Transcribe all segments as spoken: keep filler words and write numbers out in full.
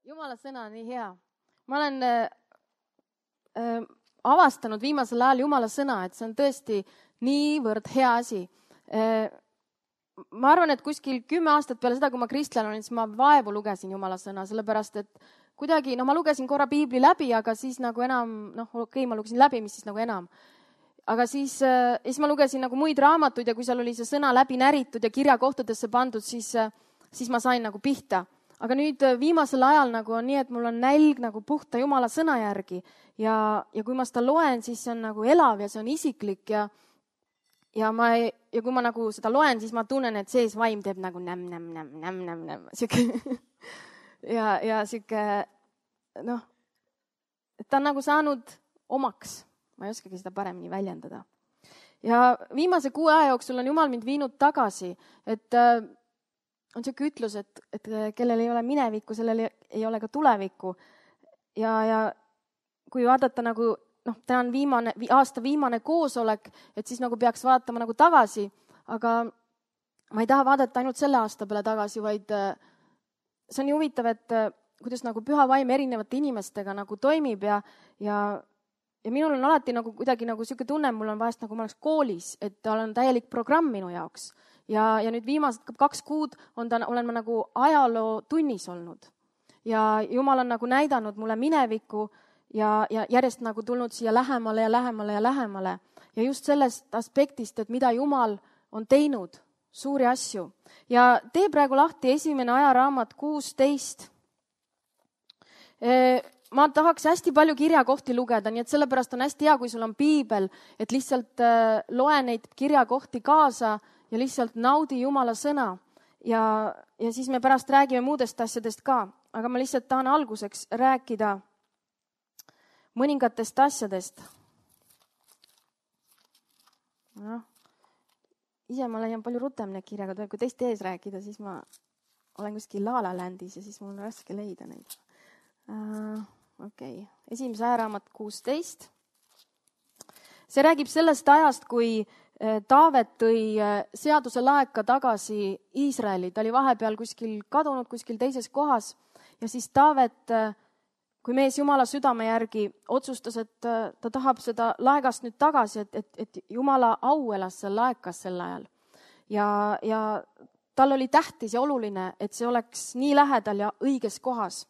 Jumala sõna on nii hea. Ma olen äh, äh, avastanud viimasel ajal Jumala sõna, et see on tõesti niivõrd hea asi. Äh, ma arvan, et kuskil kümme aastat peale seda, kui ma kristlane olin, siis ma vaevu lugesin Jumala sõna, sellepärast et kuidagi, no ma lugesin korra piibli läbi, aga siis nagu enam, noh, okei, okay, ma lugesin läbi, mis siis nagu enam. Aga siis, äh, siis ma lugesin nagu muid raamatuid ja kui seal oli see sõna läbi näritud ja kirjakohtadesse pandud, siis, äh, siis ma sain nagu pihta. Aga nüüd viimasel ajal nagu on nii, et mul on nälg nagu puhta Jumala sõna järgi ja, ja kui ma seda loen, siis see on nagu elav ja see on isiklik ja, ja, ma, ja kui ma nagu seda loen, siis ma tunnen, et sees vaim teeb nagu näm, näm, näm, näm, näm, näm, siuke ja, ja siuke, noh, ta on nagu saanud omaks, ma ei oskagi seda paremini väljendada. Ja viimase kuue aja jooksul on Jumal mind viinud tagasi, et on siuke ütlus, et, et kellel ei ole minevikku, sellel ei ole ka tulevikku. Ja, ja kui vaadata nagu, noh, ta on viimane, aasta viimane koosolek, et siis nagu peaks vaatama nagu tagasi, aga ma ei taha vaadata ainult selle aasta peale tagasi, vaid see on nii huvitav, et kuidas nagu püha vaim erinevate inimestega nagu toimib ja, ja, ja minul on alati nagu kuidagi nagu siuke tunne, mul on vahest nagu ma oleks koolis, et tal on täielik programm minu jaoks. Ja, ja nüüd viimased kaks kuud on ta, olen ma nagu ajaloo tunnis olnud. Ja Jumal on nagu näidanud mulle minevikku ja, ja järjest nagu tulnud siia lähemale ja lähemale ja lähemale. Ja just sellest aspektist, et mida Jumal on teinud, suuri asju. Ja tee praegu lahti esimene ajaraamat kuusteist. Ma tahaks hästi palju kirjakohti lugeda, nii et sellepärast on hästi hea, kui sul on piibel, et lihtsalt loe neid kirjakohti kaasa ja lihtsalt naudi Jumala sõna ja, ja siis me pärast räägime muudest asjadest ka, aga ma lihtsalt tahan alguseks rääkida mõningatest asjadest. No, ise ma leian palju rutem need kirjagad, kui teiste ees rääkida, siis ma olen kuskil La La Landis ja siis mul on raske leida neid. Uh, okei, okay. Esimese ajaraamat kuusteist. See räägib sellest ajast, kui Taavet tõi seaduse laeka tagasi Iisraeli. Ta oli vahepeal kuskil kadunud, kuskil teises kohas. Ja siis Taavet, kui mees Jumala südame järgi otsustas, et ta tahab seda laegast nüüd tagasi, et, et, et Jumala au elas seal laekas sel ajal. Ja, ja tal oli tähtis ja oluline, et see oleks nii lähedal ja õiges kohas.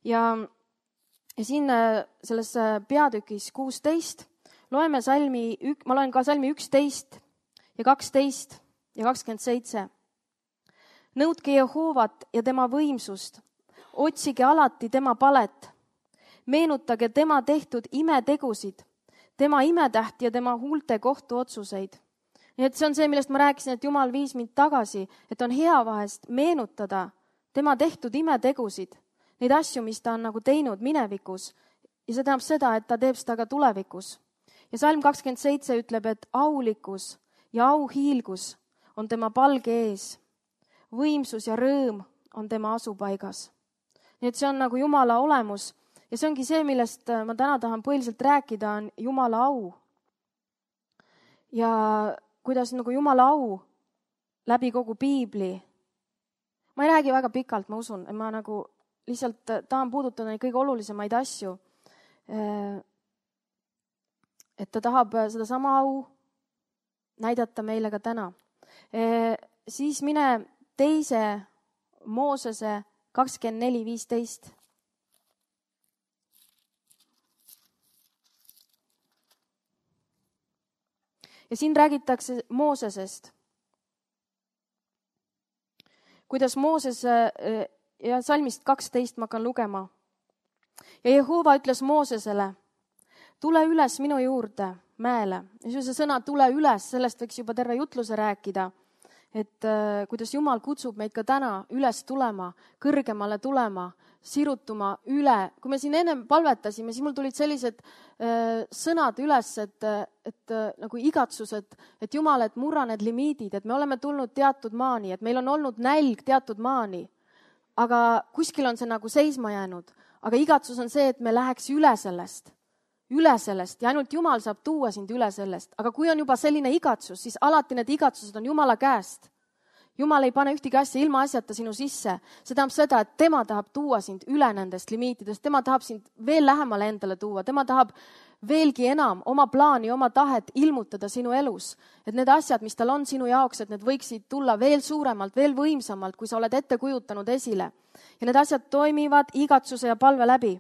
Ja, ja siin selles peatükis kuusteist loeme salmi, ma loen ka salmi üksteist ja kaksteist ja kakskümmend seitse. Nõudke Jehoovat ja tema võimsust. Otsige alati tema palet. Meenutage tema tehtud imetegusid, tema imetähti ja tema huulte kohtuotsuseid. Nii et see on see, millest ma rääkisin, et Jumal viis mind tagasi, et on hea vahest meenutada tema tehtud imetegusid, neid asju, mis ta on nagu teinud minevikus. Ja see tähendab seda, et ta teeb seda ka tulevikus. Ja salm kakskümmend seitse ütleb, et aulikkus ja auhiilgus on tema palge ees. Võimsus ja rõõm on tema asupaigas. Nii et see on nagu Jumala olemus. Ja see ongi see, millest ma täna tahan põhiliselt rääkida, on Jumala au. Ja kuidas nagu Jumala au läbi kogu piibli. Ma ei räägi väga pikalt, ma usun. Ma nagu lihtsalt tahan puudutada neid kõige olulisemaid asju. Et ta tahab seda sama au näidata meile ka täna. E, siis mine teise Moosese kakskümmend neli viisteist. Ja siin räägitakse Moosesest. Kuidas Mooses, ja salmist kaksteist ma hakkan lugema. Ja Jehova ütles Moosesele, tule üles minu juurde mäele. Ja see sõna tule üles, sellest võiks juba terve jutluse rääkida, et äh, kuidas Jumal kutsub meid ka täna üles tulema, kõrgemale tulema, sirutuma üle. Kui me siin ennem palvetasime, siis mul tulid sellised äh, sõnad üles, et, et äh, nagu igatsused, et Jumal, et murra need limiidid, et me oleme tulnud teatud maani, et meil on olnud nälg teatud maani, aga kuskil on see nagu seisma jäänud. Aga igatsus on see, et me läheks üle sellest. üle sellest ja ainult Jumal saab tuua sind üle sellest. Aga kui on juba selline igatsus, siis alati need igatsused on Jumala käest. Jumal ei pane ühtegi asja ilma asjata sinu sisse. See tähendab seda, et tema tahab tuua sind üle nendest limiitidest, tema tahab sind veel lähemale endale tuua, tema tahab veelgi enam oma plaani, oma tahet ilmutada sinu elus. Et need asjad, mis tal on sinu jaoks, et need võiksid tulla veel suuremalt, veel võimsamalt, kui sa oled ette kujutanud esile. Ja need asjad toimivad igatsuse ja palve läbi.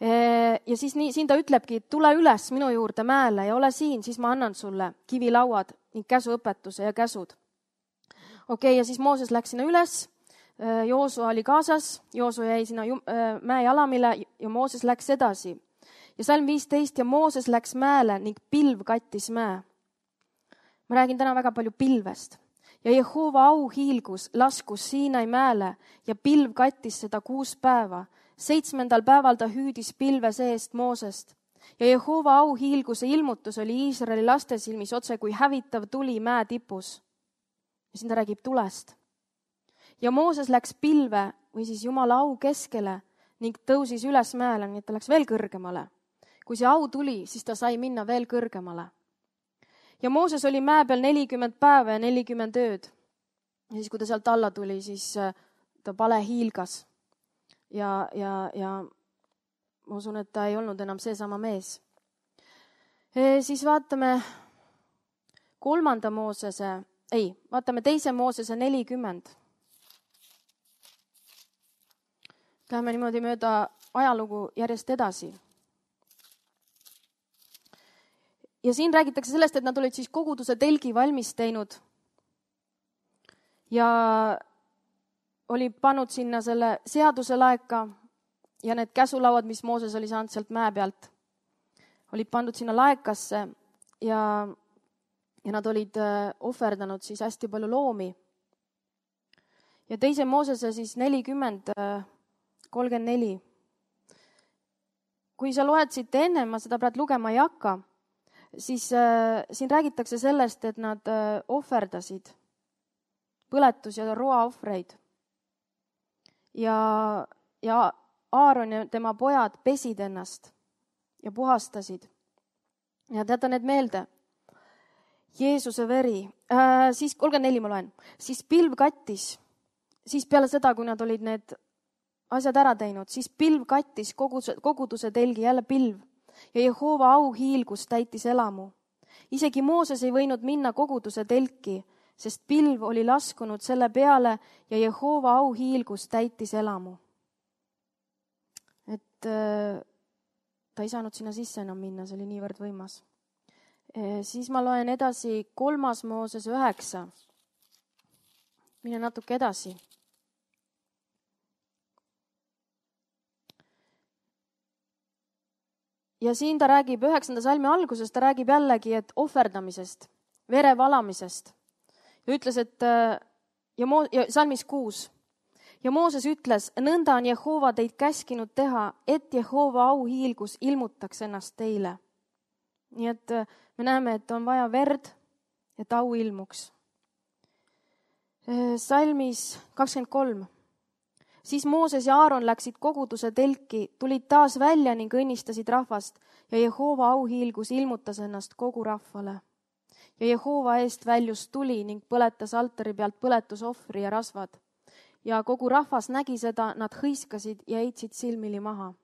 Ja siis nii, siin ta ütlebki, et tule üles minu juurde mäele ja ole siin, siis ma annan sulle kivilauad ning käsuõpetuse ja käsud. Okei, okay, ja siis Mooses läks sinna üles, Joosua oli kaasas, Joosua jäi sinna mäe jalamile ja Mooses läks edasi. Ja salm viisteist ja Mooses läks mäele ning pilv kattis mäe. Ma räägin täna väga palju pilvest. Ja Jehova au hiilgus, laskus Siinai mäele ja pilv kattis seda kuus päeva. Seitsmendal päeval ta hüüdis pilve seest Moosest. Ja Jehova au hiilguse ilmutus oli Iisraeli laste silmis otse kui hävitav tuli mäe tipus. Ja siin ta räägib tulest. Ja Mooses läks pilve või siis Jumala au keskele ning tõusis üles mäele, nii et ta läks veel kõrgemale. Kui see au tuli, siis ta sai minna veel kõrgemale. Ja Mooses oli mäe peal nelikümmend päeva ja nelikümmend ööd. Ja siis, kui ta sealt alla tuli, siis ta pale hiilgas. Ja, ja, ja ma usun, et ta ei olnud enam seesama mees. E, siis vaatame kolmanda Moosese, ei, vaatame teise Moosese nelikümmend. Läheme niimoodi mööda ajalugu järjest edasi. Ja siin räägitakse sellest, et nad olid siis koguduse telgi valmis teinud ja oli pannud sinna selle seaduse laeka ja need käsulauad, mis Mooses oli saanud sealt mäe pealt, olid pandud sinna laekasse ja, ja nad olid ohverdanud siis hästi palju loomi. Ja teise Moosese siis nelikümmend, kolmkümmend neli. Kui sa loed siit enne, ma seda praegu lugema ei hakka, siis äh, siin räägitakse sellest, et nad äh, ohverdasid põletus- ja roaohvreid. Ja, ja Aaron ja tema pojad pesid ennast ja puhastasid. Ja teate need meelde. Jeesuse veri. Äh, siis kolmkümmend neli ma loen. Siis pilv kattis. Siis peale seda, kui nad olid need asjad ära teinud, siis pilv kattis koguduse, koguduse telgi, jälle pilv. Ja Jehova au hiilgus täitis elamu. Isegi Mooses ei võinud minna koguduse telki, sest pilv oli laskunud selle peale ja Jehova au hiilgus täitis elamu. Et äh, ta ei saanud sinna sisse enam minna, see oli niivõrd võimas. E, siis ma loen edasi kolmas Mooses üheksa. Mine natuke edasi. Ja siin ta räägib üheksanda salmi alguses, ta räägib jällegi, et ohverdamisest, vere valamisest. Ja ütles, et ja, Mo, ja salmis kuus. Ja Mooses ütles, nõnda on Jehova teid käskinud teha, et Jehova au hiilgus ilmutaks ennast teile. Nii et me näeme, et on vaja verd, et au ilmuks. Salmis kakskümmend kolm. Siis Mooses ja Aaron läksid koguduse telki, tulid taas välja ning õnnistasid rahvast ja Jehova au hiilgus ilmutas ennast kogu rahvale. Ja Jehova eest väljus tuli ning põletas altari pealt põletusohvri ja rasvad. Ja kogu rahvas nägi seda, nad hõiskasid ja heitsid silmili maha.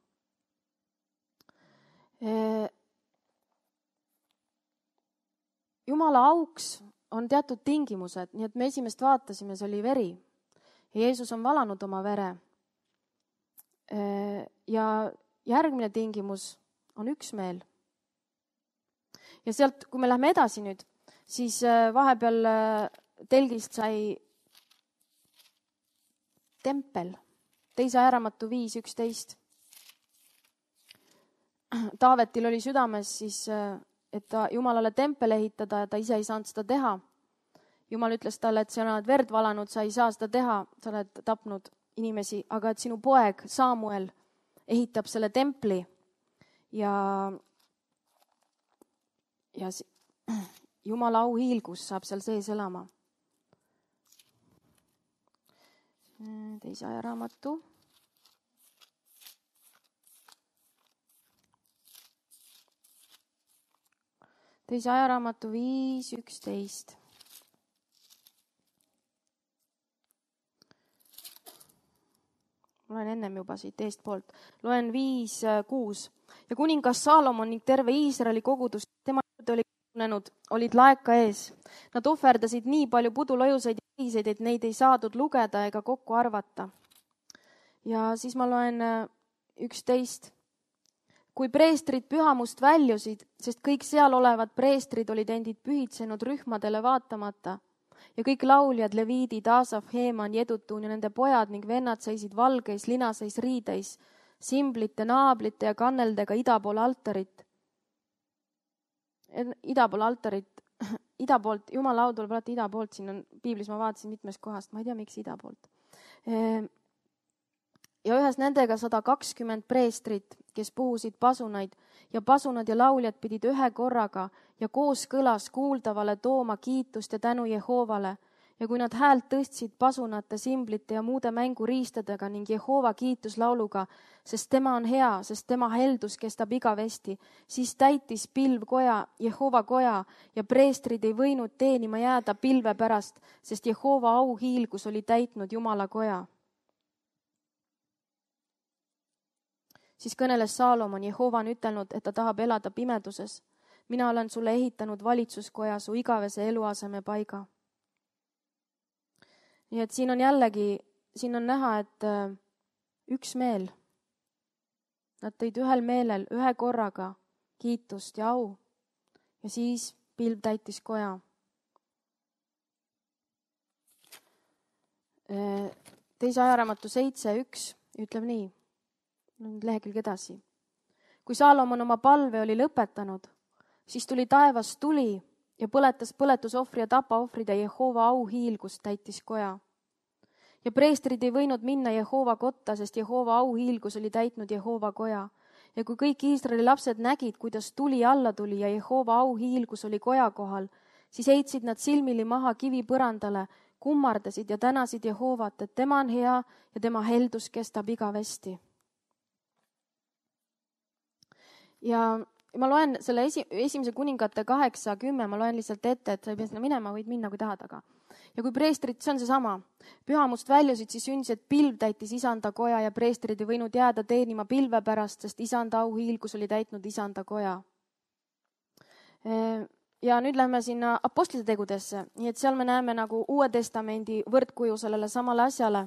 Jumala auks on teatud tingimused, nii et me esimest vaatasime, see oli veri. Ja Jeesus on valanud oma vere. Ja järgmine tingimus on üksmeel. Ja sealt, kui me lähme edasi nüüd, siis vahepeal telgist sai tempel, teise ajaraamatu viis üksteist. Taavetil oli südames siis, et ta Jumalale tempel ehitada ja ta ise ei saanud seda teha. Jumal ütles talle, et sa oled verd valanud, sa ei saa seda teha, sa oled tapnud inimesi, aga et sinu poeg Samuel ehitab selle templi ja, ja Jumala au hiilgus saab seal sees elama. Teise ajaraamatu. Teise ajaraamatu viis üksteist. ennem juba siit eestpoolt. Loen viis kuus. Ja kuningas Saalomon ning terve Iisraeli kogudus, tema juurde oli kujunenud, olid laeka ees. Nad ohverdasid nii palju pudulojuseid ja liiseid, et neid ei saadud lugeda ega kokku arvata. Ja siis ma loen üksteist. Kui preestrid pühamust väljusid, sest kõik seal olevad preestrid olid endid pühitsenud rühmadele vaatamata ja kõik lauljad, leviidid, Aasaf, Heeman, Jedutun ja nende pojad ning vennad seisid valgeis, linaseis riideis, simblite, naablite ja kanneldega ida pool altarit. Ida pool altarit, ida poolt, Jumala au tuleb alati ida poolt, siin on piiblis, ma vaatasin mitmest kohast, ma ei tea, miks ida poolt. Ja ühes nendega sada kakskümmend preestrit, kes puhusid pasunaid ja pasunad ja lauljad pidid ühe korraga ja koos kõlas kuuldavale tooma kiitust ja tänu Jehoovale. Ja kui nad häält tõstsid pasunate, simblite ja muude mänguriistadega ning Jehova kiituslauluga, sest tema on hea, sest tema heldus kestab igavesti, siis täitis pilv koja, Jehova koja ja preestrid ei võinud teenima jääda pilve pärast, sest Jehova auhiilgus oli täitnud Jumala koja. Siis kõneles Saalomon, Jehova on ütelnud, et ta tahab elada pimeduses. Mina olen sulle ehitanud valitsuskoja su igavese eluaseme paiga. Nii et siin on jällegi, siin on näha, et üks meel. Nad tõid ühel meelel ühe korraga kiitust ja au. Ja siis pilv täitis koja. Teise ajaraamatu seitse üks ütleb nii. Nüüd lehekülg edasi. Kui Saalomon oma palve oli lõpetanud, siis tuli taevas tuli ja põletas põletusohvri ja tapaohvrid ja Jehova auhiilgus täitis koja. Ja preestrid ei võinud minna Jehova kotta, sest Jehova auhiilgus oli täitnud Jehova koja. Ja kui kõik Iisraeli lapsed nägid, kuidas tuli alla tuli ja Jehova auhiilgus oli koja kohal, siis heitsid nad silmili maha kivi põrandale, kummardasid ja tänasid Jehovat, et tema on hea ja tema heldus kestab igavesti. Ja ma loen selle esi, esimese kuningate kaheksa kümme, ma loen lihtsalt ette, et sa ei pea sinna minema, võid minna, kui tahad, aga. Ja kui preestrid, see on see sama, pühamust väljusid, siis sündis, et pilv täitis isanda koja ja preestrid ei võinud jääda teenima pilve pärast, sest isanda auhiilgus oli täitnud isanda koja. Ja nüüd lähme sinna apostlite tegudesse, nii et seal me näeme nagu Uue Testamendi võrdkuju sellele samale asjale.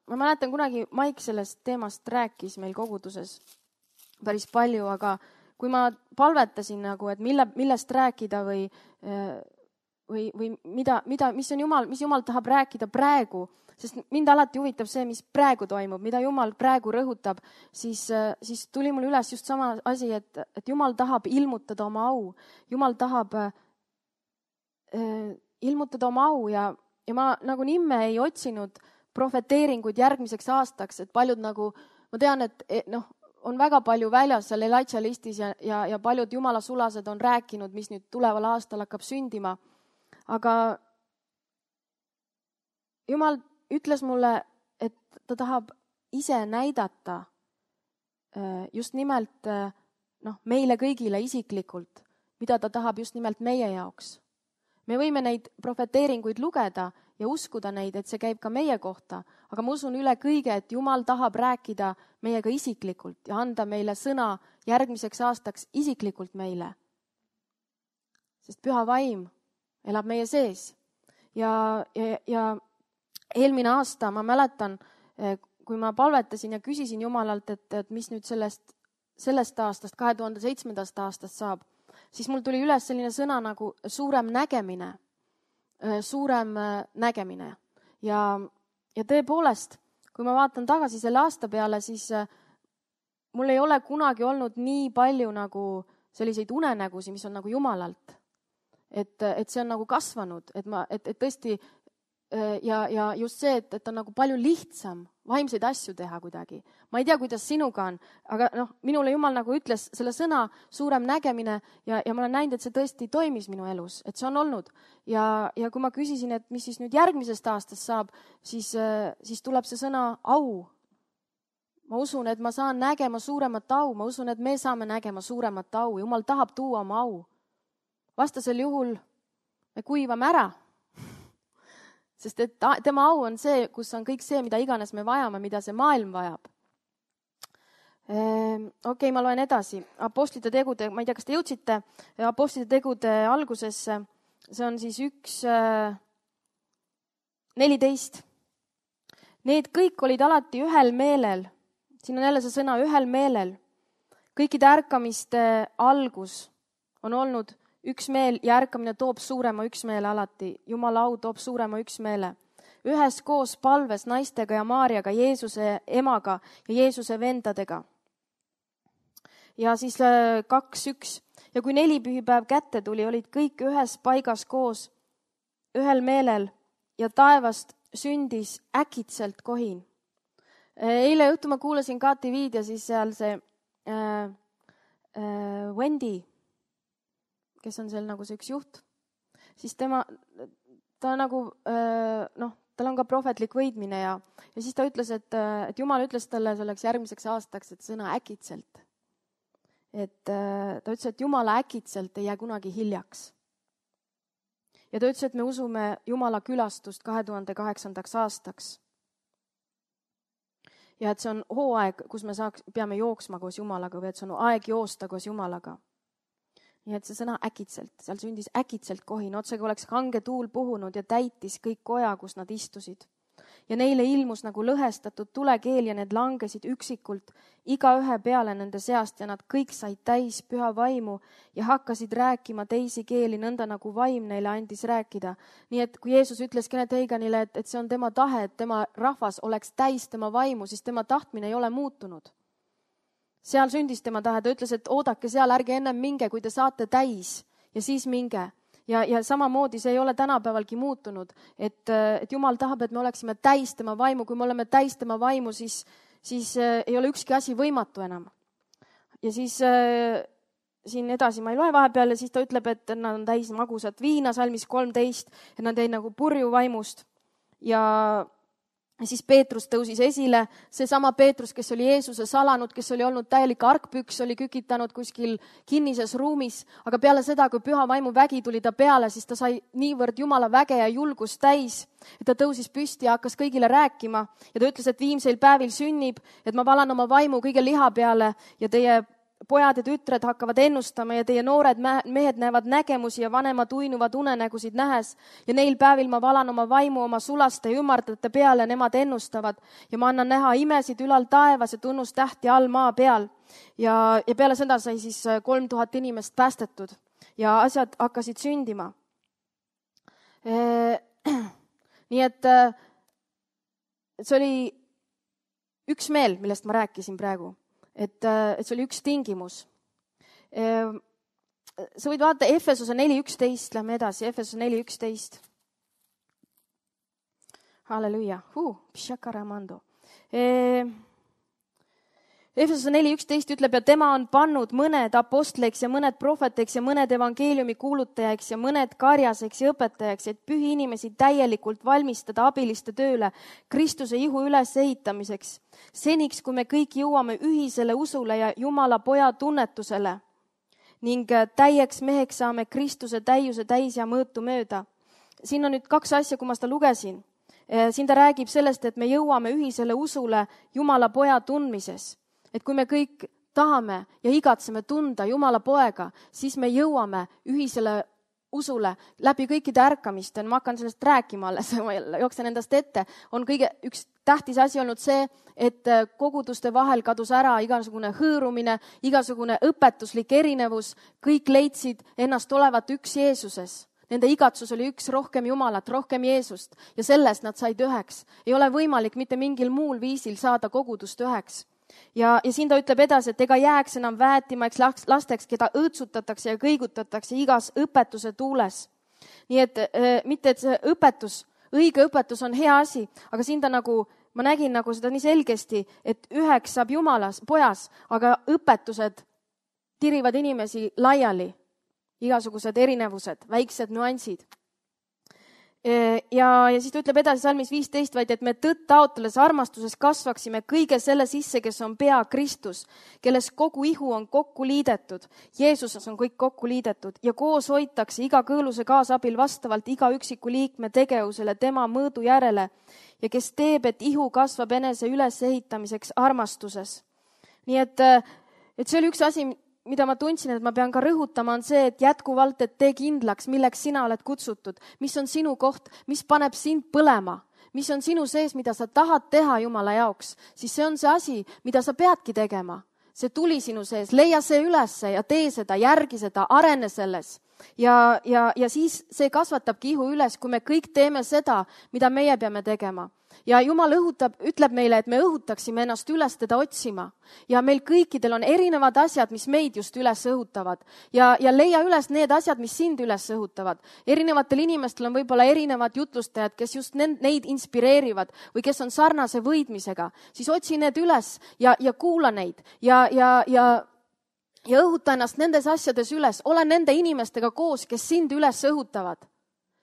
Ma mäletan kunagi Maik sellest teemast rääkis meil koguduses päris palju, aga kui ma palvetasin nagu, et mille, millest rääkida või, või, või mida, mida, mis on Jumal, mis Jumal tahab rääkida praegu, sest mind alati huvitab see, mis praegu toimub, mida Jumal praegu rõhutab, siis, siis tuli mul üles just sama asi, et, et Jumal tahab ilmutada oma au. Jumal tahab äh, ilmutada oma au ja, ja ma nagu nimme ei otsinud profeteeringuid järgmiseks aastaks, et paljud nagu, ma tean, et noh, on väga palju väljas seal Elijah listis ja, ja, ja paljud Jumala sulased on rääkinud, mis nüüd tuleval aastal hakkab sündima. Aga Jumal ütles mulle, et ta tahab ise näidata just nimelt noh, meile kõigile isiklikult, mida ta tahab just nimelt meie jaoks. Me võime neid profeteeringuid lugeda ja uskuda neid, et see käib ka meie kohta, aga ma usun üle kõige, et Jumal tahab rääkida meiega isiklikult ja anda meile sõna järgmiseks aastaks isiklikult meile. Sest püha vaim elab meie sees. Ja, ja, ja eelmine aasta ma mäletan, kui ma palvetasin ja küsisin Jumalalt, et, et mis nüüd sellest, sellest aastast, kahe tuhande seitsmendast aastast saab, siis mul tuli üles selline sõna nagu suurem nägemine. suurem nägemine. Ja, ja tõepoolest, kui ma vaatan tagasi selle aasta peale, siis mul ei ole kunagi olnud nii palju nagu selliseid unenägusi, mis on nagu Jumalalt. Et, et see on nagu kasvanud, et, ma, et, et tõesti ja, ja just see, et, et on nagu palju lihtsam vaimseid asju teha kuidagi. Ma ei tea, kuidas sinuga on, aga noh, minule Jumal nagu ütles selle sõna suurem nägemine ja, ja ma olen näinud, et see tõesti toimis minu elus, et see on olnud. Ja, ja kui ma küsisin, et mis siis nüüd järgmisest aastast saab, siis, siis tuleb see sõna au. Ma usun, et ma saan nägema suuremat au, ma usun, et me saame nägema suuremat au. Jumal tahab tuua oma au. Vastasel juhul me kuivame ära. Sest et ta, tema au on see, kus on kõik see, mida iganes me vajame, mida see maailm vajab. Okei, okay, ma loen edasi. Apostlite tegude, ma ei tea, kas te jõudsite Apostlite tegude algusesse. See on siis üks neliteist. Need kõik olid alati ühel meelel. Siin on jälle see sõna ühel meelel. Kõikide ärkamiste algus on olnud üks meel ja ärkamine toob suurema üksmeele alati. Jumala au toob suurema üksmeele. Ühes koos palves naistega ja Maarjaga, Jeesuse emaga ja Jeesuse vendadega. Ja siis kaks, üks. Ja kui neli pühipäev kätte tuli, olid kõik ühes paigas koos, ühel meelel ja taevast sündis äkitselt kohin. Eile õhtu ma kuulasin K T V-d ja siis seal see äh, äh, Wendy, kes on seal nagu see üks juht, siis tema, ta nagu, äh, noh, tal on ka prohvetlik võidmine ja, ja siis ta ütles, et, et Jumal ütles talle selleks järgmiseks aastaks, et sõna äkitselt. Et äh, ta ütles, et Jumala äkitselt ei jää kunagi hiljaks. Ja ta ütles, et me usume Jumala külastust kahe tuhande kaheksandaks aastaks. Ja et see on hooaeg, kus me saaks, peame jooksma koos Jumalaga või et see on aeg joosta koos Jumalaga. Nii et see sõna äkitselt, seal sündis äkitselt kohin, otsega oleks kange tuul puhunud ja täitis kõik koja, kus nad istusid. Ja neile ilmus nagu lõhestatud tulekeel ja need langesid üksikult iga ühe peale nende seast ja nad kõik said täis püha vaimu ja hakkasid rääkima teisi keeli nõnda nagu vaim neile andis rääkida. Nii et kui Jeesus ütles Kenneth Haganile, et, et see on tema tahe, et tema rahvas oleks täis tema vaimu, siis tema tahtmine ei ole muutunud. Seal sündis tema tahe, ta ütles, et oodake seal, ärge ennem minge, kui te saate täis ja siis minge. Ja, ja samamoodi see ei ole tänapäevalgi muutunud, et, et Jumal tahab, et me oleksime täis tema vaimu. Kui me oleme täis tema vaimu, siis, siis äh, ei ole ükski asi võimatu enam. Ja siis äh, siin edasi ma ei loe vahepeal ja siis ta ütleb, et nad on täis magusat viina, salmis kolmteist, et nad jäid nagu purju vaimust. Ja siis Peetrus tõusis esile, see sama Peetrus, kes oli Jeesuse salanud, kes oli olnud täielik argpüks, oli kükitanud kuskil kinnises ruumis, aga peale seda, kui püha vaimu vägi tuli ta peale, siis ta sai niivõrd Jumala väge ja julgust täis, et ta tõusis püsti ja hakkas kõigile rääkima ja ta ütles, et viimseil päevil sünnib, et ma valan oma vaimu kõige liha peale ja teie pojad ja tütred hakkavad ennustama ja teie noored mehed näevad nägemusi ja vanemad uinuvad unenägusid nähes. Ja neil päevil ma valan oma vaimu oma sulaste ja ümardate peale, nemad ennustavad. Ja ma annan näha imesid ülal taevas ja tunnustähti all maa peal. Ja, ja peale seda sai siis kolm tuhat inimest päästetud ja asjad hakkasid sündima. Nii et see oli üks meel, millest ma rääkisin praegu. Et, et see oli üks tingimus. Sa võid vaadata Efesose neli üksteist, lähme edasi, Efesose neli üksteist. Halleluja. Uh, pshakaramando. Efesose neli üksteist ütleb, ja tema on pannud mõned apostleiks ja mõned prohveteiks ja mõned evangeeliumi kuulutajaks ja mõned karjaseks ja õpetajaks, et pühi inimesi täielikult valmistada abiliste tööle Kristuse ihu ülesehitamiseks. Seniks, kui me kõik jõuame ühisele usule ja Jumala poja tunnetusele ning täieks meheks saame Kristuse täiuse täis ja mõõtu mööda. Siin on nüüd kaks asja, kui ma seda lugesin. Siin ta räägib sellest, et me jõuame ühisele usule Jumala poja tundmises. Et kui me kõik tahame ja igatseme tunda Jumala poega, siis me jõuame ühisele usule läbi kõikide ärkamiste. Ma hakkan sellest rääkima alles, ma jooksen endast ette. On kõige üks tähtis asi olnud see, et koguduste vahel kadus ära igasugune hõõrumine, igasugune õpetuslik erinevus. Kõik leidsid ennast olevat üks Jeesuses. Nende igatsus oli üks, rohkem Jumalat, rohkem Jeesust ja sellest nad said üheks. Ei ole võimalik mitte mingil muul viisil saada kogudust üheks. Ja, ja siin ta ütleb edasi, et ega jääks enam väetimaks lasteks, keda õõtsutatakse ja kõigutatakse igas õpetuse tuules. Nii et äh, mitte, et see õpetus, õige õpetus on hea asi, aga siin ta nagu, ma nägin nagu seda nii selgesti, et üheks saab Jumalas, pojas, aga õpetused tirivad inimesi laiali, igasugused erinevused, väiksed nüansid. Ja, ja siis ta ütleb edasi salmis viisteist, vaid et me tõtt taotledes armastuses kasvaksime kõige selle sisse, kes on pea Kristus, kelles kogu ihu on kokku liidetud. Jeesuses on kõik kokku liidetud ja koos hoitakse iga kõõluse kaasabil vastavalt iga üksiku liikme tegevusele tema mõõdu järele ja kes teeb, et ihu kasvab enese ülesehitamiseks armastuses. Nii et, et see oli üks asi, mida ma tundsin, et ma pean ka rõhutama, on see, et jätkuvalt, et tee kindlaks, milleks sina oled kutsutud, mis on sinu koht, mis paneb sind põlema, mis on sinu sees, mida sa tahad teha Jumala jaoks, siis see on see asi, mida sa peadki tegema. See tuli sinu sees, leia see ülesse ja tee seda, järgi seda, arene selles. Ja, ja, ja siis see kasvatabki ihu üles, kui me kõik teeme seda, mida meie peame tegema. Ja Jumal õhutab, ütleb meile, et me õhutaksime ennast üles teda otsima. Ja meil kõikidel on erinevad asjad, mis meid just üles õhutavad. Ja, ja leia üles need asjad, mis sind üles õhutavad. Erinevatel inimestel on võib-olla erinevad jutlustajad, kes just neid inspireerivad või kes on sarnase võidmisega. Siis otsi need üles ja, ja kuula neid ja, ja, ja, ja õhuta ennast nendes asjades üles. Ole nende inimestega koos, kes sind üles õhutavad.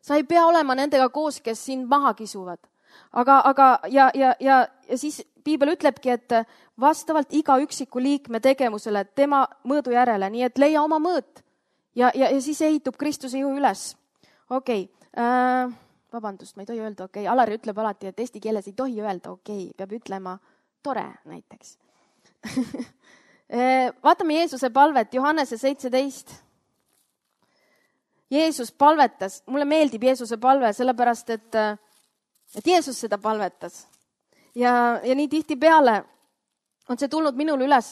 Sa ei pea olema nendega koos, kes sind maha kisuvad. Aga, aga ja, ja, ja, ja siis Piibel ütlebki, et vastavalt iga üksiku liikme tegevusele tema mõõdu järele, nii et leia oma mõõt ja, ja, ja siis ehitub Kristuse ihu üles. Okei, okay. äh, vabandust, ma ei tohi öelda, okei, okay. Alari ütleb alati, et eesti keeles ei tohi öelda, okei, okay. Peab ütlema tore näiteks. Vaatame Jeesuse palvet, Johannese seitseteist. Jeesus palvetas, mulle meeldib Jeesuse palve, sellepärast et et Jeesus seda palvetas. Ja, ja nii tihti peale on see tulnud minul üles.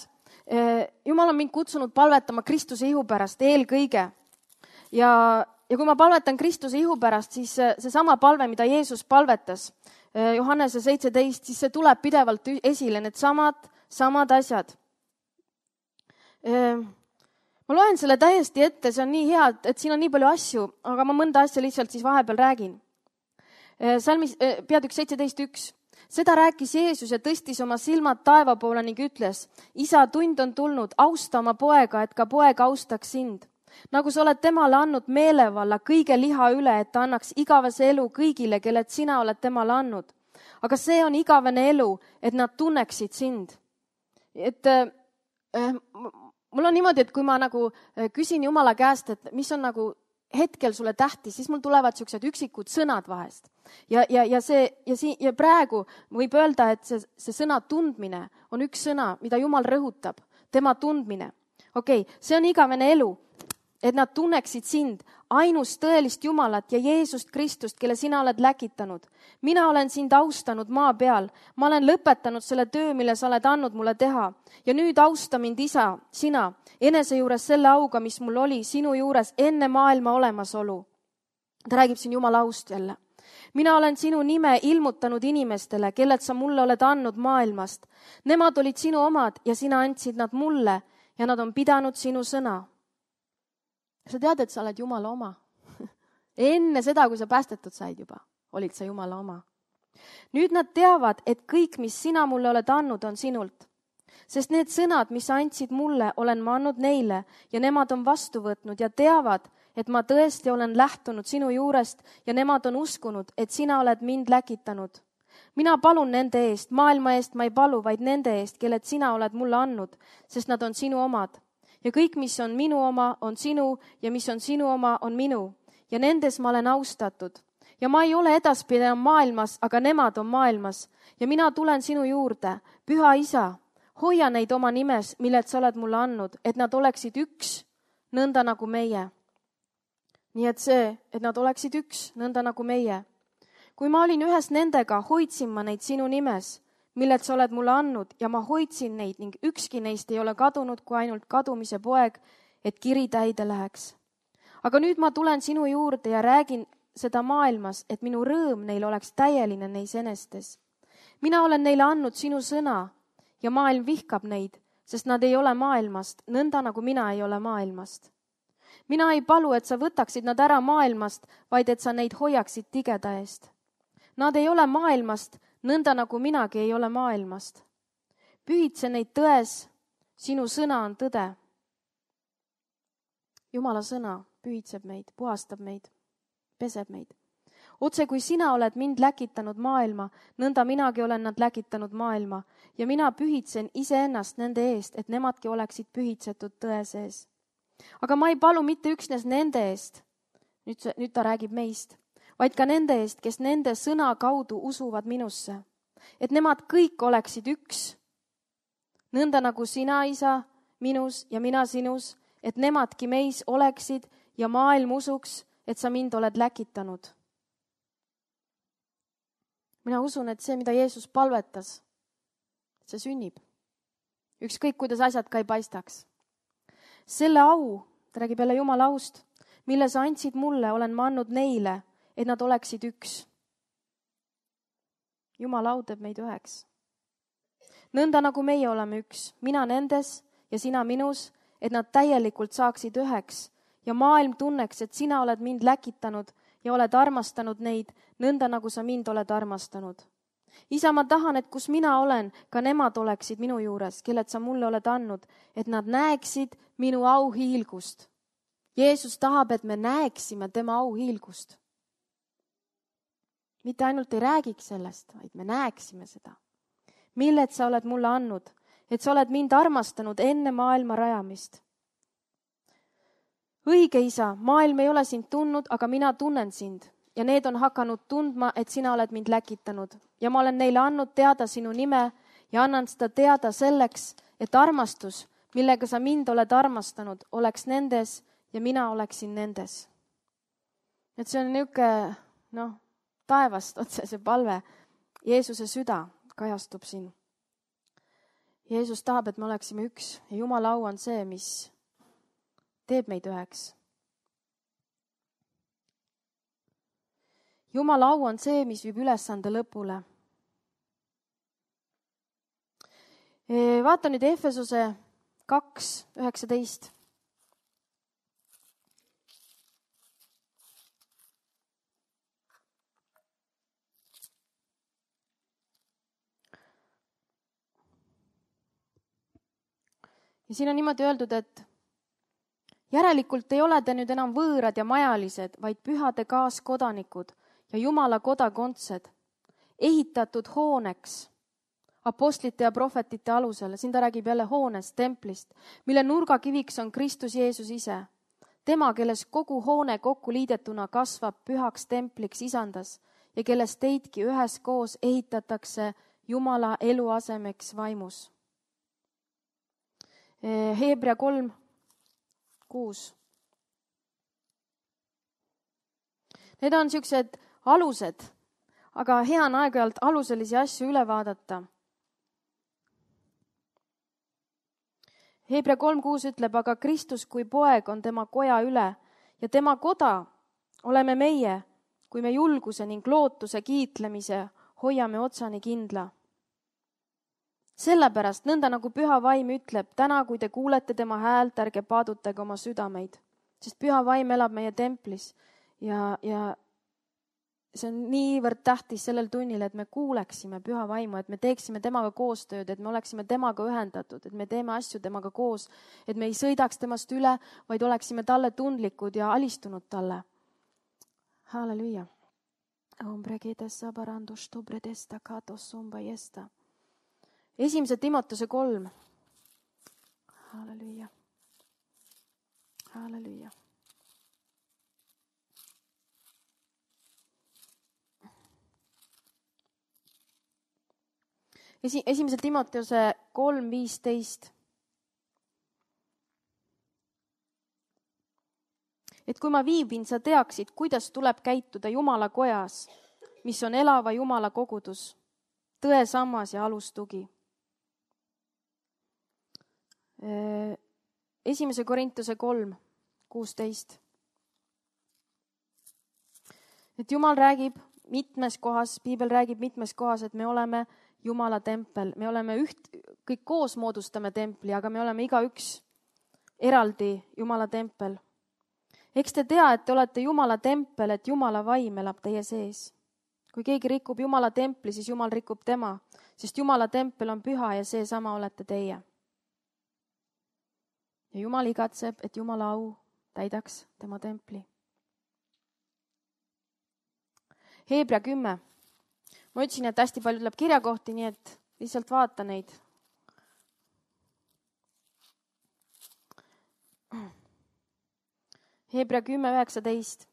Jumal on mind kutsunud palvetama Kristuse ihu pärast eelkõige. Ja, ja kui ma palvetan Kristuse ihu pärast, siis see sama palve, mida Jeesus palvetas, Johannese seitseteist, siis see tuleb pidevalt esile, need samad, samad asjad. Ma loen selle täiesti ette, see on nii hea, et siin on nii palju asju, aga ma mõnda asja lihtsalt siis vahepeal räägin. Salmis, peatükk seitseteist üks. Seda rääkis Jeesus ja tõstis oma silmad taeva poole ning ütles, isa, tund on tulnud, austa oma poega, et ka poeg austaks sind. Nagu sa oled temale andnud meelevalla kõige liha üle, et ta annaks igavese elu kõigile, kelled sina oled temale andnud. Aga see on igavene elu, et nad tunneksid sind. Et äh, mul on niimoodi, et kui ma nagu küsin Jumala käest, et mis on nagu hetkel sulle tähtis, siis mul tulevad siuksed üksikud sõnad vahest. Ja, ja, ja, see, ja, si, ja praegu võib öelda, et see, see sõna tundmine on üks sõna, mida Jumal rõhutab, tema tundmine. Okei, okay, see on igavene elu, et nad tunneksid sind, ainust tõelist Jumalat ja Jeesust Kristust, kelle sina oled läkitanud. Mina olen sind austanud maa peal. Ma olen lõpetanud selle töö, mille sa oled andnud mulle teha. Ja nüüd austa mind, isa, sina, enese juures selle auga, mis mul oli sinu juures enne maailma olemasolu. Ta räägib siin Jumala aust jälle. Mina olen sinu nime ilmutanud inimestele, kelled sa mulle oled andnud maailmast. Nemad olid sinu omad ja sina andsid nad mulle ja nad on pidanud sinu sõna. Sa tead, et sa oled Jumala oma. Enne seda, kui sa päästetud said juba, olid sa Jumala oma. Nüüd nad teavad, et kõik, mis sina mulle oled andnud, on sinult. Sest need sõnad, mis sa andsid mulle, olen ma andnud neile ja nemad on vastu võtnud ja teavad, et ma tõesti olen lähtunud sinu juurest ja nemad on uskunud, et sina oled mind läkitanud. Mina palun nende eest, maailma eest ma ei palu, vaid nende eest, kelled sina oled mulle andnud, sest nad on sinu omad. Ja kõik, mis on minu oma, on sinu ja mis on sinu oma, on minu. Ja nendes ma olen austatud. Ja ma ei ole edaspidi enam maailmas, aga nemad on maailmas. Ja mina tulen sinu juurde, püha isa, hoia neid oma nimes, milled sa oled mulle andnud, et nad oleksid üks, nõnda nagu meie. Nii et see, et nad oleksid üks, nõnda nagu meie. Kui ma olin ühes nendega, hoidsin ma neid sinu nimes, milled sa oled mulle andnud ja ma hoidsin neid ning ükski neist ei ole kadunud kui ainult kadumise poeg, et kiri täide läheks. Aga nüüd ma tulen sinu juurde ja räägin seda maailmas, et minu rõõm neil oleks täieline neis enestes. Mina olen neile andnud sinu sõna ja maailm vihkab neid, sest nad ei ole maailmast, nõnda nagu mina ei ole maailmast. Mina ei palu, et sa võtaksid nad ära maailmast, vaid et sa neid hoiaksid tigeda eest. Nad ei ole maailmast, nõnda nagu minagi ei ole maailmast. Pühitse neid tões, sinu sõna on tõde. Jumala sõna pühitseb meid, puhastab meid, peseb meid. Otse kui sina oled mind läkitanud maailma, nõnda minagi olen nad läkitanud maailma ja mina pühitsen iseennast nende eest, et nemadki oleksid pühitsetud tõe sees. Aga ma ei palu mitte üksnes nende eest, nüüd, see, nüüd ta räägib meist, vaid ka nende eest, kes nende sõna kaudu usuvad minusse, et nemad kõik oleksid üks, nõnda nagu sina, isa, minus ja mina sinus, et nemadki meis oleksid ja maailm usuks, et sa mind oled läkitanud. Mina usun, et see, mida Jeesus palvetas, see sünnib. Ükskõik, kuidas asjad ka ei paistaks. Selle au, ta räägib jälle Jumala aust, mille sa andsid mulle, olen ma andnud neile, et nad oleksid üks. Jumala au teeb meid üheks. Nõnda nagu meie oleme üks, mina nendes ja sina minus, et nad täielikult saaksid üheks ja maailm tunneks, et sina oled mind läkitanud ja oled armastanud neid, nõnda nagu sa mind oled armastanud. Isa, ma tahan, et kus mina olen, ka nemad oleksid minu juures, kelled sa mulle oled andnud, et nad näeksid minu auhiilgust. Jeesus tahab, et me näeksime tema auhiilgust. Mitte ainult ei räägiks sellest, vaid me näeksime seda. Milled sa oled mulle andnud, et sa oled mind armastanud enne maailma rajamist. Õige isa, maailm ei ole sind tundnud, aga mina tunnen sind ja need on hakanud tundma, et sina oled mind läkitanud ja ma olen neile andnud teada sinu nime ja annan seda teada selleks, et armastus, millega sa mind oled armastanud, oleks nendes ja mina oleksin nendes. Et see on niisugune, noh, taevast otse see palve. Jeesuse süda kajastub siin. Jeesus tahab, et me oleksime üks ja Jumala au on see, mis teeb meid üheks. Jumala au on see, mis viib ülesande lõpule. Vaata nüüd Efesuse kaks üheksateist. Ja siin on niimoodi öeldud, et järelikult ei ole te nüüd enam võõrad ja majalised, vaid pühade kaaskodanikud ja Jumala kodakondsed, ehitatud hooneks apostlite ja prohvetite alusel. Siin ta räägib jälle hoonest, templist, mille nurgakiviks on Kristus Jeesus ise. Tema, kelles kogu hoone kokku liidetuna kasvab pühaks templiks isandas ja kelles teidki üheskoos ehitatakse Jumala eluasemeks vaimus. Heebrea kolm kuus. Need on niisugused alused, aga hea on aeg-ajalt aluselisi asju üle vaadata. Heebrea kolm kuus ütleb, aga Kristus kui poeg on tema koja üle ja tema koda oleme meie, kui me julguse ning lootuse kiitlemise hoiame otsani kindla. Sellepärast, nõnda nagu püha vaim ütleb, täna kui te kuulete tema häält, ärge paadutage oma südameid, sest püha vaim elab meie templis ja, ja see on niivõrd tähtis sellel tunnil, et me kuuleksime püha vaimu, et me teeksime temaga koostööd, et me oleksime temaga ühendatud, et me teeme asju temaga koos, et me ei sõidaks temast üle, vaid oleksime talle tundlikud ja alistunud talle. Halleluja. Esimese Timotuse kolm. Halleluja. Halleluja. Esi, esimese Timotuse kolm viisteist. Et kui ma viibin, sa teaksid, kuidas tuleb käituda Jumala kojas, mis on elava Jumala kogudus, tõe sammas ja alustugi. Esimese Korintuse kolm kuusteist. Et Jumal räägib mitmes kohas, Piibel räägib mitmes kohas, et me oleme Jumala tempel. Me oleme üht, kõik koos moodustame templi, aga me oleme igaüks eraldi Jumala tempel. Eks te tea, et te olete Jumala tempel, et Jumala vaim elab teie sees. Kui keegi rikub Jumala templi, siis Jumal rikub tema, sest Jumala tempel on püha ja see sama olete teie. Ja Jumal igatseb, et Jumala au täidaks tema templi. Hebra kümme. Ma ütlesin, et hästi palju tuleb kirjakohti, nii et lihtsalt vaata neid. Hebra kümme üheksateist.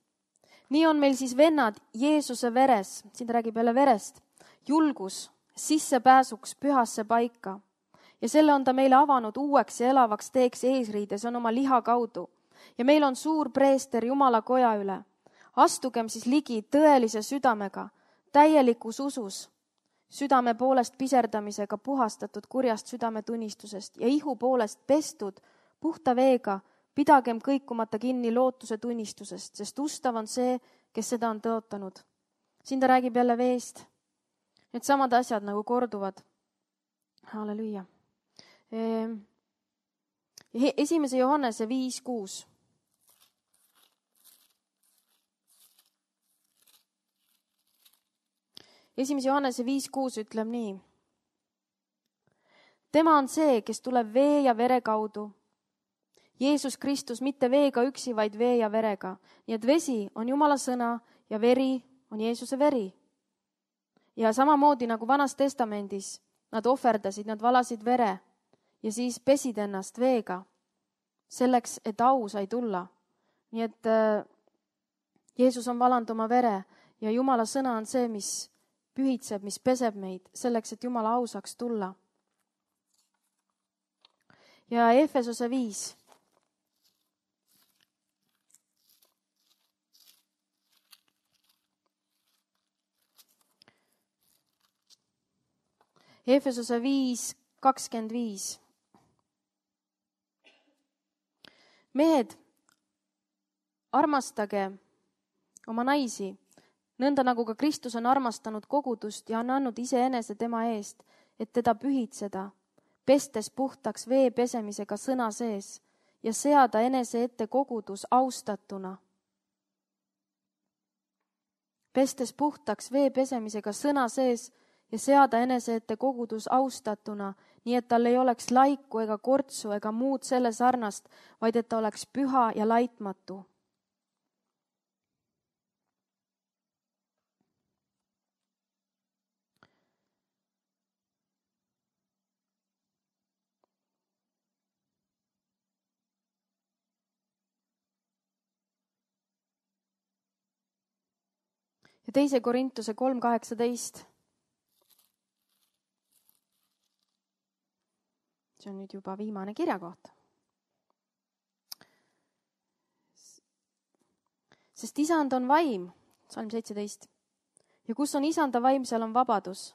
Nii on meil siis vennad Jeesuse veres, siin ta räägib jälle verest, julgus sissepääsuks pühasse paika. Ja selle on ta meile avanud uueks ja elavaks teeks eesriides, on oma liha kaudu. Ja meil on suur preester Jumala koja üle. Astugem siis ligi tõelise südamega, täielikus usus, südame poolest piserdamisega puhastatud kurjast südametunnistusest ja ihu poolest pestud puhta veega, pidagem kõikumata kinni lootuse tunnistusest, sest ustav on see, kes seda on tõotanud. Siin ta räägib jälle veest. Need samad asjad nagu korduvad. Halleluja. Esimese Johannese viis kuus. Esimese Johannese viis kuus ütleb nii. Tema on see, kes tuleb vee ja vere kaudu. Jeesus Kristus mitte veega üksi, vaid vee ja verega. Nii et vesi on Jumala sõna ja veri on Jeesuse veri. Ja samamoodi nagu Vanas Testamendis nad ohverdasid, nad valasid vere ja siis pesid ennast veega selleks, et au sai tulla. Nii et äh, Jeesus on valanud oma vere ja Jumala sõna on see, mis pühitseb, mis peseb meid selleks, et Jumala au saaks tulla. Ja Efesose viis. Efesose viis kakskümmend viis. Mehed, armastage oma naisi, nõnda nagu ka Kristus on armastanud kogudust ja on andnud iseenese tema eest, et teda pühitseda, pestes puhtaks vee pesemisega sõna sees ja seada enese ette kogudus austatuna. Pestes puhtaks vee pesemisega sõna sees ja seada enese ette kogudus austatuna, nii et tal ei oleks laiku ega kortsu ega muud selle sarnast, vaid et ta oleks püha ja laitmatu. Ja teise Korintuse kolm kaheksateist. See on nüüd juba viimane kirjakoht. Sest isand on vaim, salm seitseteist, ja kus on isanda vaim, seal on vabadus.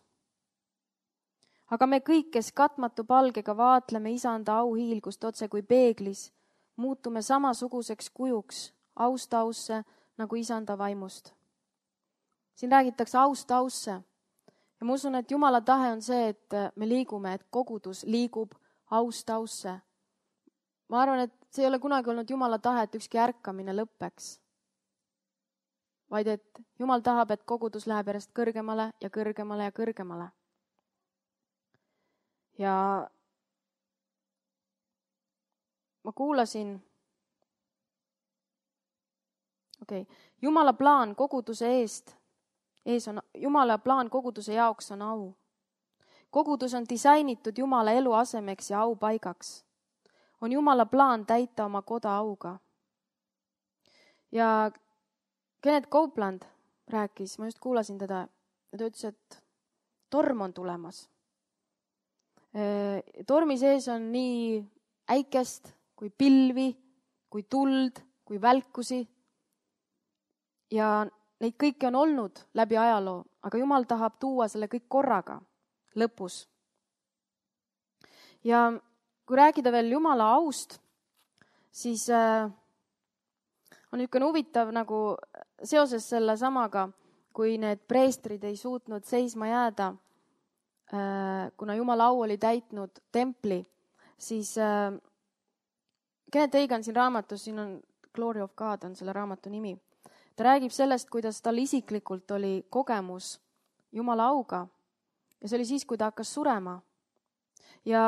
Aga me kõik, kes katmatu palgega vaatleme isanda auhiilgust otse kui peeglis, muutume samasuguseks kujuks, aust ausse, nagu isanda vaimust. Siin räägitakse aust ausse. Ja ma usun, et Jumala tahe on see, et me liigume, et kogudus liigub aust ausse. Ma arvan, et see ei ole kunagi olnud Jumala tahe, et ükski ärkamine lõppeks. Vaid et Jumal tahab, et kogudus läheb järjest kõrgemale ja kõrgemale ja kõrgemale. Ja ma kuulasin, okei, okay, Jumala plaan koguduse eest, ees on, Jumala plaan koguduse jaoks on au. Kogudus on disainitud Jumala elu asemeks ja au paigaks. On Jumala plaan täita oma koda auga. Ja Kenneth Copeland rääkis, ma just kuulasin teda, ja ta ütles, et torm on tulemas. Tormi sees on nii äikest kui pilvi, kui tuld, kui välkusi. Ja neid kõiki on olnud läbi ajaloo, aga Jumal tahab tuua selle kõik korraga lõpus. Ja kui rääkida veel Jumala aust, siis äh, on niisugune huvitav nagu seoses selle samaga, kui need preestrid ei suutnud seisma jääda, äh, kuna Jumala au oli täitnud templi, siis äh, Kenneth Hagin siin raamatus, siin on Glory of God on selle raamatu nimi. Ta räägib sellest, kuidas tal isiklikult oli kogemus Jumala auga. Ja see oli siis, kui ta hakkas surema. Ja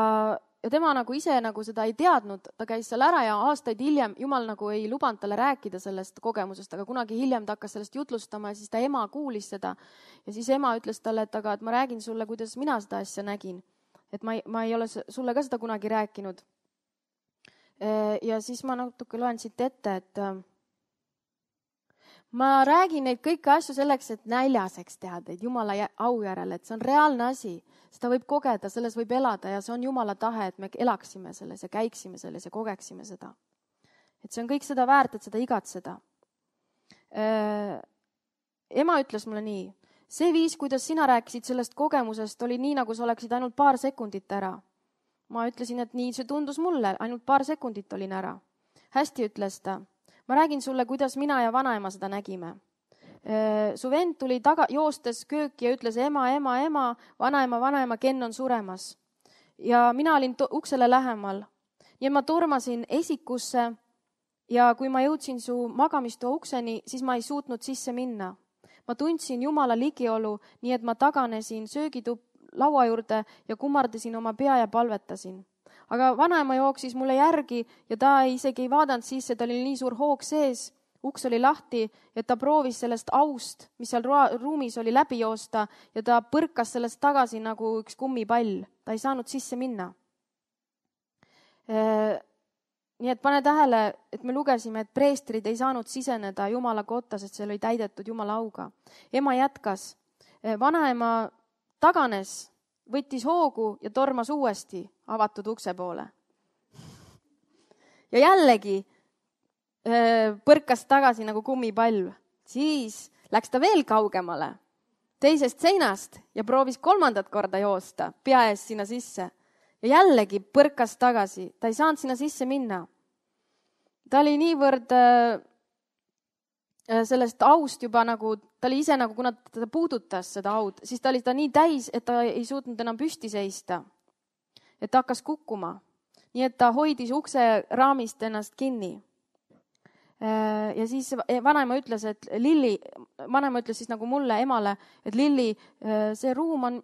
ja tema nagu ise nagu seda ei teadnud, ta käis seal ära ja aastaid hiljem Jumal nagu ei lubanud talle rääkida sellest kogemusest, aga kunagi hiljem ta hakkas sellest jutlustama ja siis ta ema kuulis seda. Ja siis ema ütles talle, et aga et ma räägin sulle, kuidas mina seda asja nägin. Et ma ei, ma ei ole sulle ka seda kunagi rääkinud. Ja siis ma natuke loen siit ette, et ma räägin neid kõiki asju selleks, et näljaseks teha teid Jumala au järele, et see on reaalne asi. Seda võib kogeda, selles võib elada ja see on Jumala tahe, et me elaksime selles ja käiksime selles ja kogeksime seda. Et see on kõik seda väärt, et seda igatseda. Ema ütles mulle nii, see viis, kuidas sina rääkisid sellest kogemusest, oli nii, nagu sa oleksid ainult paar sekundit ära. Ma ütlesin, et nii see tundus mulle, ainult paar sekundit olin ära. Hästi ütles ta. Ma räägin sulle, kuidas mina ja vanaema seda nägime. Su vend tuli taga, joostes kööki ja ütles ema, ema, ema, vanaema, vanaema, Ken on suremas. Ja mina olin to- uksele lähemal. Ja ma tormasin esikusse ja kui ma jõudsin su magamistoa ukseni, siis ma ei suutnud sisse minna. Ma tundsin Jumala ligiolu, nii et ma taganesin söögitup laua juurde ja kummardasin oma pea ja palvetasin. Aga vanaema jooksis mulle järgi ja ta isegi ei vaadanud sisse, ta oli nii suur hoog sees, uks oli lahti ja ta proovis sellest aust, mis seal ruumis oli läbi joosta ja ta põrkas sellest tagasi nagu üks kummipall. Ta ei saanud sisse minna. Nii et pane tähele, et me lugesime, et preestrid ei saanud siseneda Jumala kotta, sest see oli täidetud Jumala auga. Ema jätkas. Vanaema taganes, võttis hoogu ja tormas uuesti avatud ukse poole. Ja jällegi põrkas tagasi nagu kummipalv. Siis läks ta veel kaugemale teisest seinast ja proovis kolmandat korda joosta pea ees sinna sisse. Ja jällegi põrkas tagasi. Ta ei saanud sinna sisse minna. Ta oli niivõrd sellest aust juba nagu, ta oli ise nagu, kuna ta puudutas seda aud, siis ta oli ta nii täis, et ta ei suutnud enam püsti seista. Et ta hakkas kukkuma. Nii et ta hoidis ukse raamist ennast kinni. Ja siis vanaema ütles, et Lilli, vanaema ütles siis nagu mulle, emale, et Lilli, see ruum on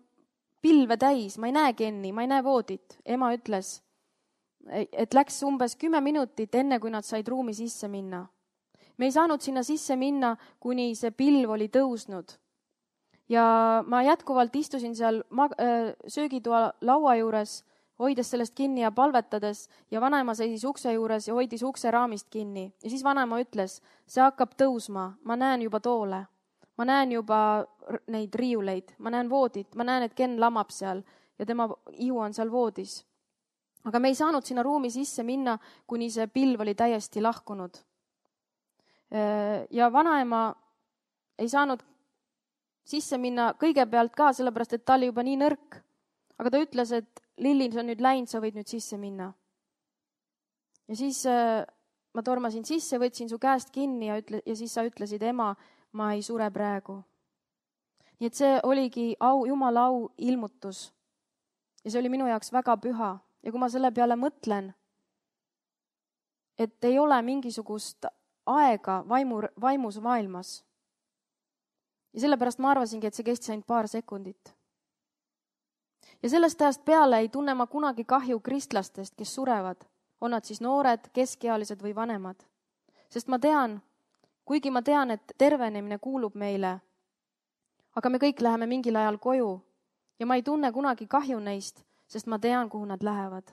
pilve täis, ma ei näe Kenni, ma ei näe voodit. Ema ütles, et läks umbes kümme minutit enne, kui nad said ruumi sisse minna. Me ei saanud sinna sisse minna, kuni see pilv oli tõusnud. Ja ma jätkuvalt istusin seal söögitoa laua juures, hoides sellest kinni ja palvetades ja vanaema seisis ukse juures ja hoidis ukse raamist kinni. Ja siis vanaema ütles, see hakkab tõusma, ma näen juba toole. Ma näen juba neid riiuleid, ma näen voodit, ma näen, et Ken lamab seal ja tema ihu on seal voodis. Aga me ei saanud sinna ruumi sisse minna, kuni see pilv oli täiesti lahkunud. Ja vanaema ei saanud sisse minna kõigepealt ka, sellepärast, et ta oli juba nii nõrk. Aga ta ütles, et Lilli, see on nüüd läinud, sa võid nüüd sisse minna. Ja siis ma tormasin sisse, võtsin su käest kinni ja, ütle, ja siis sa ütlesid, ema, ma ei sure praegu. Nii et see oligi au, Jumala au ilmutus. Ja see oli minu jaoks väga püha. Ja kui ma selle peale mõtlen, et ei ole mingisugust aega vaimu, vaimus maailmas. Ja sellepärast ma arvasingi, et see kestis ainult paar sekundit. Ja sellest ajast peale ei tunne ma kunagi kahju kristlastest, kes surevad. On nad siis noored, keskealised või vanemad. Sest ma tean, kuigi ma tean, et tervenemine kuulub meile, aga me kõik läheme mingil ajal koju ja ma ei tunne kunagi kahju neist, sest ma tean, kuhu nad lähevad.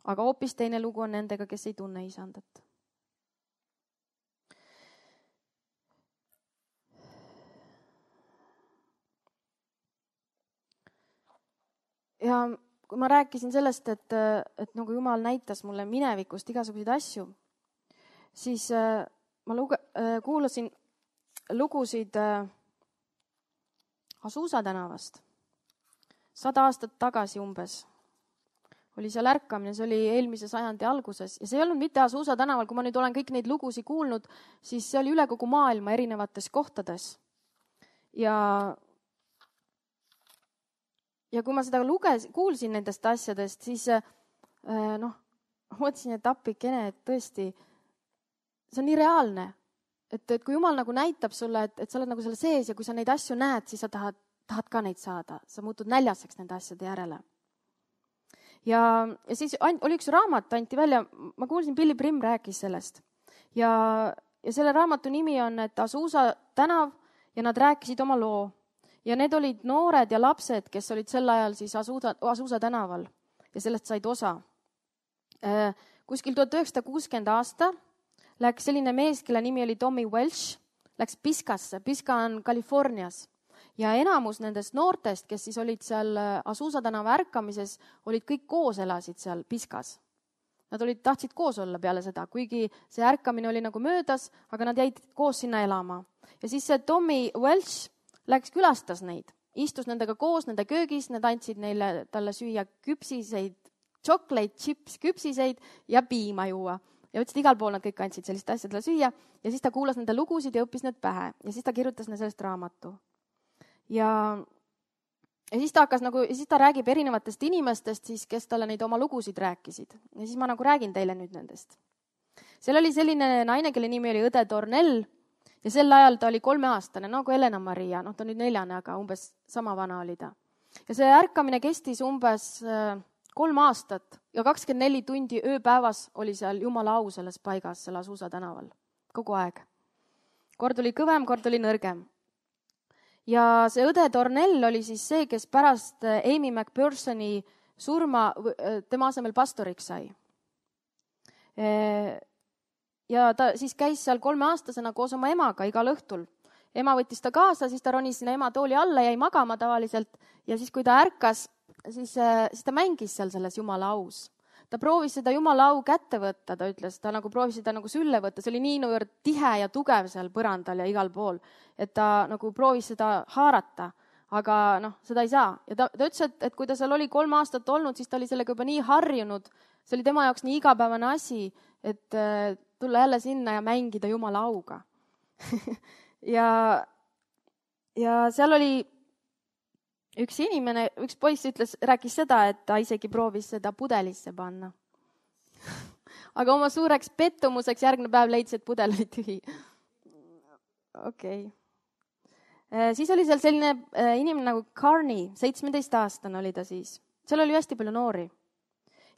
Aga hoopis teine lugu on nendega, kes ei tunne isandat. Ja kui ma rääkisin sellest, et, et nagu Jumal näitas mulle minevikust igasuguseid asju, siis ma luge, kuulasin lugusid Azusa tänavast. Sada aastat tagasi umbes oli seal ärkamine, see oli eelmise sajandi alguses. Ja see ei olnud mitte Azusa tänaval, kui ma nüüd olen kõik neid lugusid kuulnud, siis see oli üle kogu maailma erinevates kohtades. Ja Ja kui ma seda luges, kuulsin nendest asjadest, siis noh, mõtlesin, et appikene, et tõesti, see on nii reaalne. Et, et kui Jumal nagu näitab sulle, et, et sa oled nagu selle sees ja kui sa neid asju näed, siis sa tahad, tahad ka neid saada. Sa muutud näljaseks nende asjade järele. ja, ja siis oli üks raamat, anti välja, ma kuulsin, Billy Brim rääkis sellest. Ja, ja selle raamatu nimi on, et Azusa tänav ja nad rääkisid oma loo. Ja need olid noored ja lapsed, kes olid sel ajal siis Azusa, Azusa tänaval ja sellest said osa. Kuskil tuhat üheksasada kuuskümmend aasta läks selline mees, kelle nimi oli Tommy Welsh, läks Piskasse. Piska on Californias. Ja enamus nendest noortest, kes siis olid seal Azusa tänava ärkamises, olid kõik koos, elasid seal Piskas. Nad olid, tahtsid koos olla peale seda, kuigi see ärkamine oli nagu möödas, aga nad jäid koos sinna elama. Ja siis see Tommy Welsh läks külastas neid, istus nendega koos nende köögis, need andsid neile talle süüa küpsiseid, chocolate chips küpsiseid ja piima juua. Ja ütlesid, igal pool nad kõik andsid sellist asja talle süüa ja siis ta kuulas nende lugusid ja õppis need pähe ja siis ta kirjutas neile sellest raamatu. Ja, ja siis ta hakkas nagu, ja siis ta räägib erinevatest inimestest, siis, kes talle neid oma lugusid rääkisid. Ja siis ma nagu räägin teile nüüd nendest. Seal oli selline naine, kelle nimi oli õde Tornell ja sel ajal ta oli kolmeaastane, nagu Elena Maria, noh ta on nüüd neljane, aga umbes sama vana oli ta. Ja see ärkamine kestis umbes kolm aastat ja kakskümmend neli tundi ööpäevas oli seal Jumala au selles paigas, seal Azusa tänaval, kogu aeg. Kord oli kõvem, kord oli nõrgem. Ja see õde Tornell oli siis see, kes pärast Amy McPhersoni surma tema asemel pastoriks sai. Ja ta siis käis seal kolmeaastasena koos oma emaga igal õhtul. Ema võttis ta kaasa, siis ta ronis sinna ema tooli alla, jäi magama tavaliselt ja siis kui ta ärkas, siis, siis ta mängis seal selles Jumala aus. Ta proovis seda Jumala au kätte võtta, ta ütles, ta nagu proovis seda nagu sülle võtta, see oli nii niivõrd tihe ja tugev seal põrandal ja igal pool, et ta nagu proovis seda haarata, aga noh, seda ei saa. Ja ta, ta ütles, et, et kui ta seal oli kolm aastat olnud, siis ta oli sellega juba nii harjunud, see oli tema jaoks nii igapäevane asi, et tulla jälle sinna ja mängida Jumala auga. ja, ja seal oli üks inimene, üks poiss ütles, rääkis seda, et ta isegi proovis seda pudelisse panna. Aga oma suureks pettumuseks järgmine päev leidis, et pudel oli tühi. Okei. Okay. Siis oli seal selline inimene nagu Carney, seitsmeteistaastane oli ta siis. Seal oli hästi palju noori.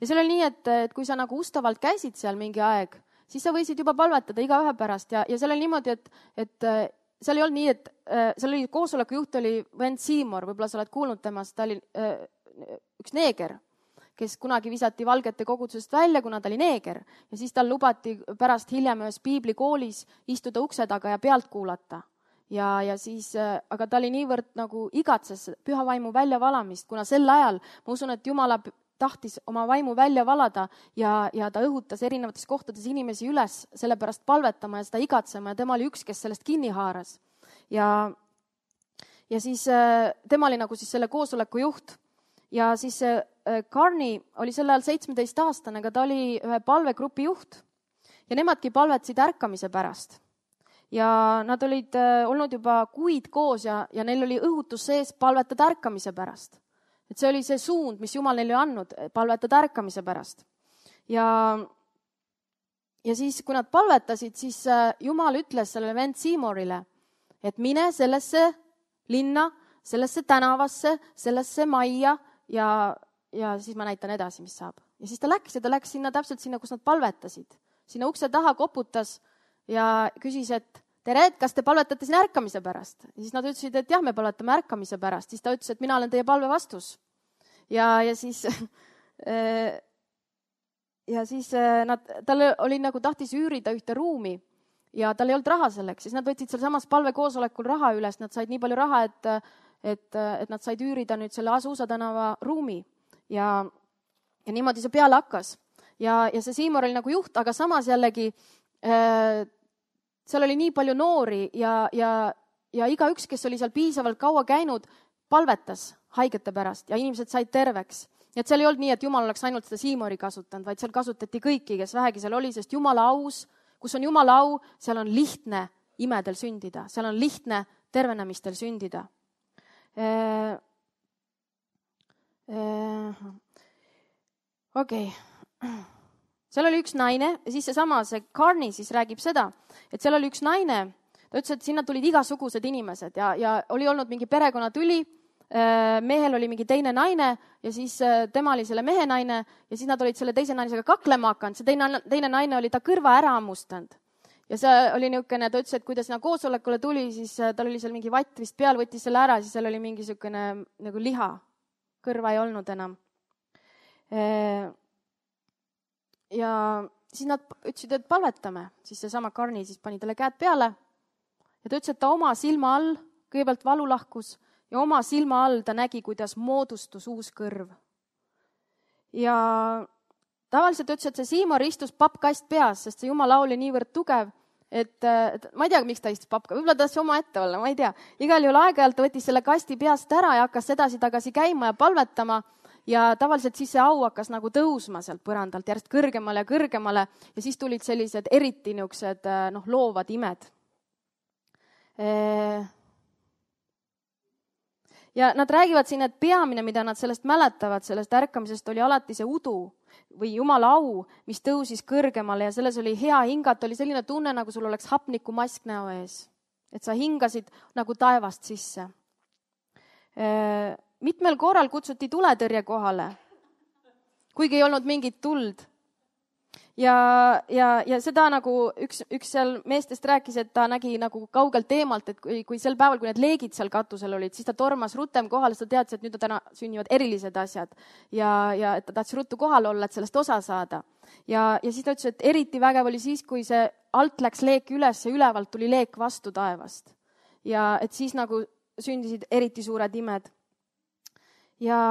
Ja seal oli nii, et, et kui sa nagu ustavalt käisid seal mingi aeg, siis sa võisid juba palvetada iga ühe pärast ja, ja seal oli niimoodi, et, et seal ei olnud nii, et äh, seal oli koosoleku juht oli Wayne Seymour, võib-olla sa oled kuulnud temast, ta oli äh, üks neeger, kes kunagi visati valgete kogudusest välja, kuna ta oli neeger. Ja siis tal lubati pärast hiljem ühes piiblikoolis istuda ukse taga ja pealt kuulata. Ja, ja siis, äh, aga ta oli niivõrd nagu igatses püha vaimu väljavalamist, kuna sel ajal ma usun, et Jumala tahtis oma vaimu välja valada ja, ja ta õhutas erinevates kohtades inimesi üles sellepärast palvetama ja seda igatsema ja tema oli üks, kes sellest kinni haaras. Ja, ja siis tema oli nagu siis selle koosoleku juht ja siis Carney oli sel ajal seitsmeteistaastane, aga ta oli ühe palvegrupi juht ja nemadki palvetasid ärkamise pärast. Ja nad olid olnud juba kuid koos ja, ja neil oli õhutus sees palvetada ärkamise pärast. Et see oli see suund, mis Jumal neile andnud, palvetada ärkamise pärast. Ja, ja siis, kui nad palvetasid, siis Jumal ütles sellele Wayne Seymourile, et mine sellesse linna, sellesse tänavasse, sellesse majja ja, ja siis ma näitan edasi, mis saab. Ja siis ta läks ja ta läks sinna täpselt sinna, kus nad palvetasid. Sinna ukse taha koputas ja küsis, et tere, kas te palvetate siin ärkamise pärast? Ja siis nad ütlesid, et jah, me palvetame ärkamise pärast. Siis ta ütles, et mina olen teie palve vastus. Ja, ja siis, ja siis nad, tal oli nagu tahtis üürida ühte ruumi ja tal ei olnud raha selleks. Siis nad võtsid seal samas palvekoosolekul raha üles. Nad said nii palju raha, et, et, et nad said üürida nüüd selle Azusa tänava ruumi. Ja, ja niimoodi see peale hakkas. Ja, ja see Seymour oli nagu juht, aga samas jällegi seal oli nii palju noori ja, ja, ja iga üks, kes oli seal piisavalt kaua käinud, palvetas haigete pärast ja inimesed said terveks. Ja et seal ei olnud nii, et Jumal oleks ainult seda Seymouri kasutanud, vaid seal kasutati kõiki, kes vähegi seal oli, sest Jumala aus, kus on Jumala au, seal on lihtne imedel sündida, seal on lihtne tervenemistel sündida. Okei. Okay. Seal oli üks naine ja siis seesama, see Carney siis räägib seda, et seal oli üks naine, ta ütles, et sinna tulid igasugused inimesed ja, ja oli olnud mingi perekonnatüli, mehel oli mingi teine naine ja siis tema oli selle mehe naine ja siis nad olid selle teise naisega kaklema hakanud. See teine, teine naine oli ta kõrva ära hammustanud. Ja see oli niisugune, ta ütles, et kui ta sinna koosolekule tuli, siis tal oli seal mingi vatt vist peal, võttis selle ära, siis seal oli mingi niisugune nagu liha. Kõrva ei olnud enam. Ja siis nad ütlesid, et palvetame. Siis see sama Karni siis pani talle käed peale ja ta ütles, et ta oma silma all kõigepealt valu lahkus ja oma silma all ta nägi, kuidas moodustus uus kõrv. Ja tavaliselt ütles, et see Siimor istus pappkast peas, sest see Jumala oli niivõrd tugev, et, et ma ei tea, miks ta istus pappka, võib-olla tassi oma ette olla, ma ei tea. Igal juhul aeg-ajalt ta võttis selle kasti peast ära ja hakkas edasi-tagasi käima ja palvetama ja tavaliselt siis see au hakkas nagu tõusma sealt põrandalt järjest kõrgemale ja kõrgemale ja siis tulid sellised eriti niisugused noh, loovad imed. Ja nad räägivad siin, et peamine, mida nad sellest mäletavad, sellest ärkamisest oli alati see udu või Jumala au, mis tõusis kõrgemale ja selles oli hea hingata, oli selline tunne, nagu sul oleks hapnikumask näo ees. Et sa hingasid nagu taevast sisse. Mitmel korral kutsuti tuletõrje kohale, kuigi ei olnud mingit tuld. Ja, ja, ja seda nagu üks, üks seal meestest rääkis, et ta nägi nagu kaugelt eemalt, et kui, kui sel päeval, kui need leegid seal katusel olid, siis ta tormas rutem kohale, sest ta teadis, et nüüd täna sünnivad erilised asjad. Ja, ja et ta tahtis ruttu kohal olla, et sellest osa saada. Ja, ja siis ta ütles, et eriti vägev oli siis, kui see alt läks leek üles ja ülevalt tuli leek vastu taevast. Ja et siis nagu sündisid eriti suured imed. Ja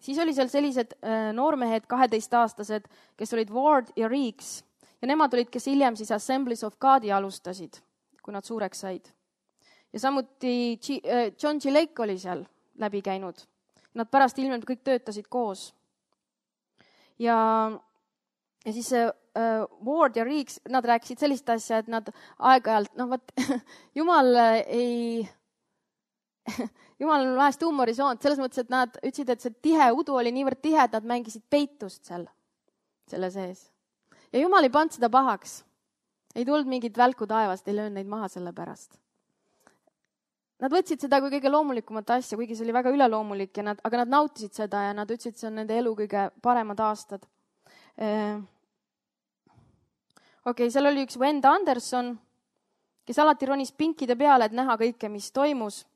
siis oli seal sellised noormehed, kaheteistaastased, kes olid Ward ja Reeks. Ja nemad olid, kes hiljem siis Assemblies of God'i alustasid, kui nad suureks said. Ja samuti John G. Lake oli seal läbi käinud. Nad pärast ilmselt kõik töötasid koos. Ja, ja siis Ward ja Reeks, nad rääkisid sellist asja, et nad aeg-ajalt, noh võt, Jumal ei... Jumal on vahest huumorisoont, selles mõttes, et nad ütlesid, et see tihe udu oli niivõrd tihe, et nad mängisid peitust seal, selle sees. Ja Jumal ei pannud seda pahaks. Ei tulnud mingit välku taevast, ei löönud neid maha selle pärast. Nad võtsid seda kui kõige loomulikumat asja, kuigi see oli väga üleloomulik, ja nad, aga nad nautisid seda ja nad ütlesid, see on nende elu kõige paremad aastad. Okei, okay, seal oli üks Wenda Anderson, kes alati ronis pinkide peale, et näha kõike, mis toimus.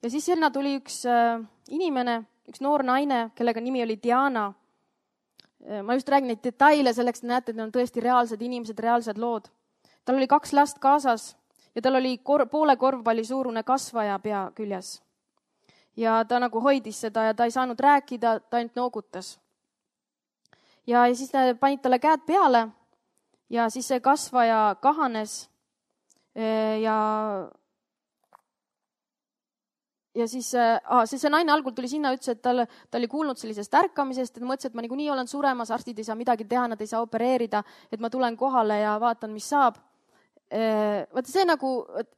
Ja siis sinna tuli üks äh, inimene, üks noor naine, kellega nimi oli Diana. Ma just räägin neid detaile selleks, et näete, et need on tõesti reaalsed inimesed, reaalsed lood. Tal oli kaks last kaasas ja tal oli kor- poole korvpalli suurune kasvaja pea küljes. Ja ta nagu hoidis seda ja ta ei saanud rääkida, ta ainult noogutas. Ja, ja siis panid talle käed peale ja siis see kasvaja kahanes ja Ja siis ah, see, see naine algul tuli sinna, ütles, et tal, ta oli kuulnud sellisest ärkamisest, et mõtles, et ma niikuinii olen suremas, arstid ei saa midagi teha, nad ei saa opereerida, et ma tulen kohale ja vaatan, mis saab. Vaata see nagu,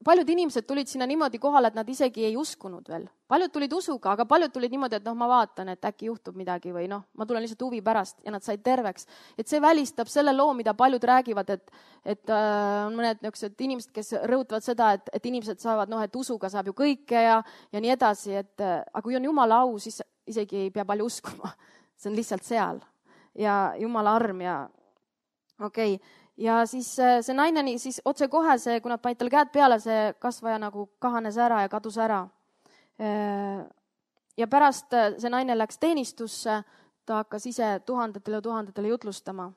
paljud inimesed tulid sinna niimoodi kohale, et nad isegi ei uskunud veel. Paljud tulid usuga, aga paljud tulid niimoodi, et noh, ma vaatan, et äkki juhtub midagi või noh, ma tulen lihtsalt huvi pärast ja nad said terveks. Et see välistab selle loo, mida paljud räägivad, et, et äh, on mõned niisugused inimesed, kes rõhutavad seda, et, et inimesed saavad, noh, et usuga saab ju kõike ja, ja nii edasi, et aga kui on Jumala au, siis isegi ei pea palju uskuma. See on lihtsalt seal ja Jumala arm ja okei okay. Ja siis see naine, siis otse kohe see, kui nad panid talle käed peale, see kasvaja nagu kahanes ära ja kadus ära. Ja pärast see naine läks teenistusse, ta hakkas ise tuhandetele ja tuhandetele jutlustama.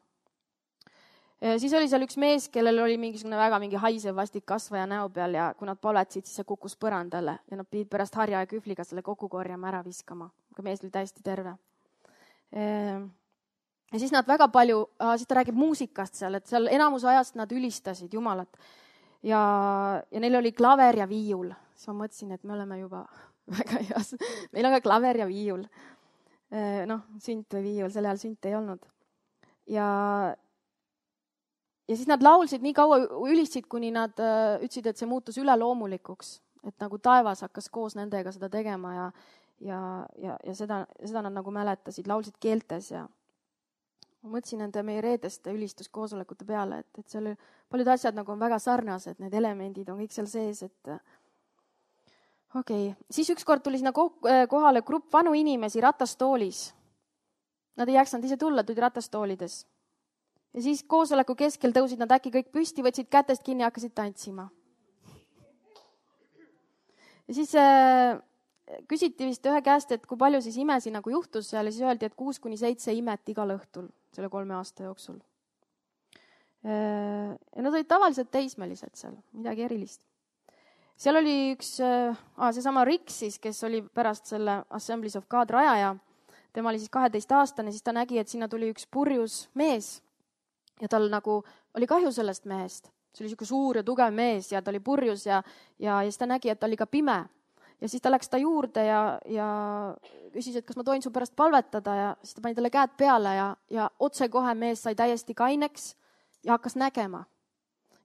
Siis oli seal üks mees, kellel oli mingisugune väga mingi haisev vastik kasvaja näo peal ja kui nad palvetsid, siis see kukkus põrandale ja nad pidid pärast harja ja kühvliga selle kokku korjama ära viskama. Aga mees oli täiesti terve. Ja siis nad väga palju, siis ta räägib muusikast seal, et seal enamus ajast nad ülistasid Jumalat. Ja, ja neil oli klaver ja viiul. Siis ma mõtlesin, et me oleme juba väga heas. Meil on ka klaver ja viiul. Noh, sünt või viiul, selle ajal sünt ei olnud. Ja, ja siis nad laulsid nii kaua ülistasid, kuni nad ütlesid, et see muutus üleloomulikuks. Et nagu taevas hakkas koos nendega seda tegema ja, ja, ja, ja seda, seda nad nagu mäletasid, laulsid keeltes ja ma mõtlesin nende meie reedeste ülistuskoosolekute peale, et, et seal paljud asjad nagu on väga sarnased, need elemendid on kõik seal sees, et okei okay., siis ükskord tuli sinna kohale grupp vanu inimesi ratastoolis. Nad ei jaksanud ise tulla, tulid ratastoolides. Ja siis koosoleku keskel tõusid nad äkki kõik püsti, võtsid kätest kinni ja hakkasid tantsima. Ja siis äh, küsiti vist ühe käest, et kui palju siis imesi nagu juhtus seal ja siis öeldi, et kuus kuni seitse imet igal õhtul selle kolme aasta jooksul. Äh, ja nad olid tavaliselt teismelised seal, midagi erilist. Seal oli üks, äh, seesama Rick siis, kes oli pärast selle Assemblies of God rajaja, tema oli siis kaheteist aastane, siis ta nägi, et sinna tuli üks purjus mees ja tal nagu oli kahju sellest mehest. See oli siuke suur ja tugev mees ja ta oli purjus ja, ja, ja siis ta nägi, et ta oli ka pime. Ja siis ta läks ta juurde ja, ja küsis, et kas ma tohin su pärast palvetada ja siis ta pani talle käed peale ja, ja otsekohe mees sai täiesti kaineks ja hakkas nägema.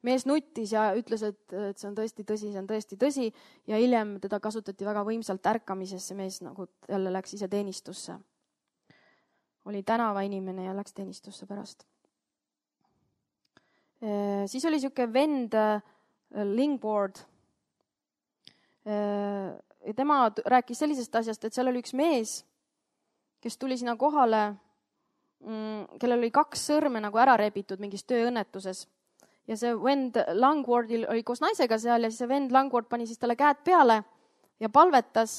Mees nuttis ja ütles, et, et see on tõesti tõsi, see on tõesti tõsi ja hiljem teda kasutati väga võimsalt ärkamisesse, mees nagu jälle läks ise teenistusse. Oli tänava inimene ja läks teenistusse pärast. E, siis oli siuke vend Lingboard. E, tema rääkis sellisest asjast, et seal oli üks mees, kes tuli sinna kohale, kellel oli kaks sõrme nagu ära rebitud mingis tööõnnetuses. Ja see vend Langwardil oli koos naisega seal ja siis see vend Langward pani siis talle käed peale ja palvetas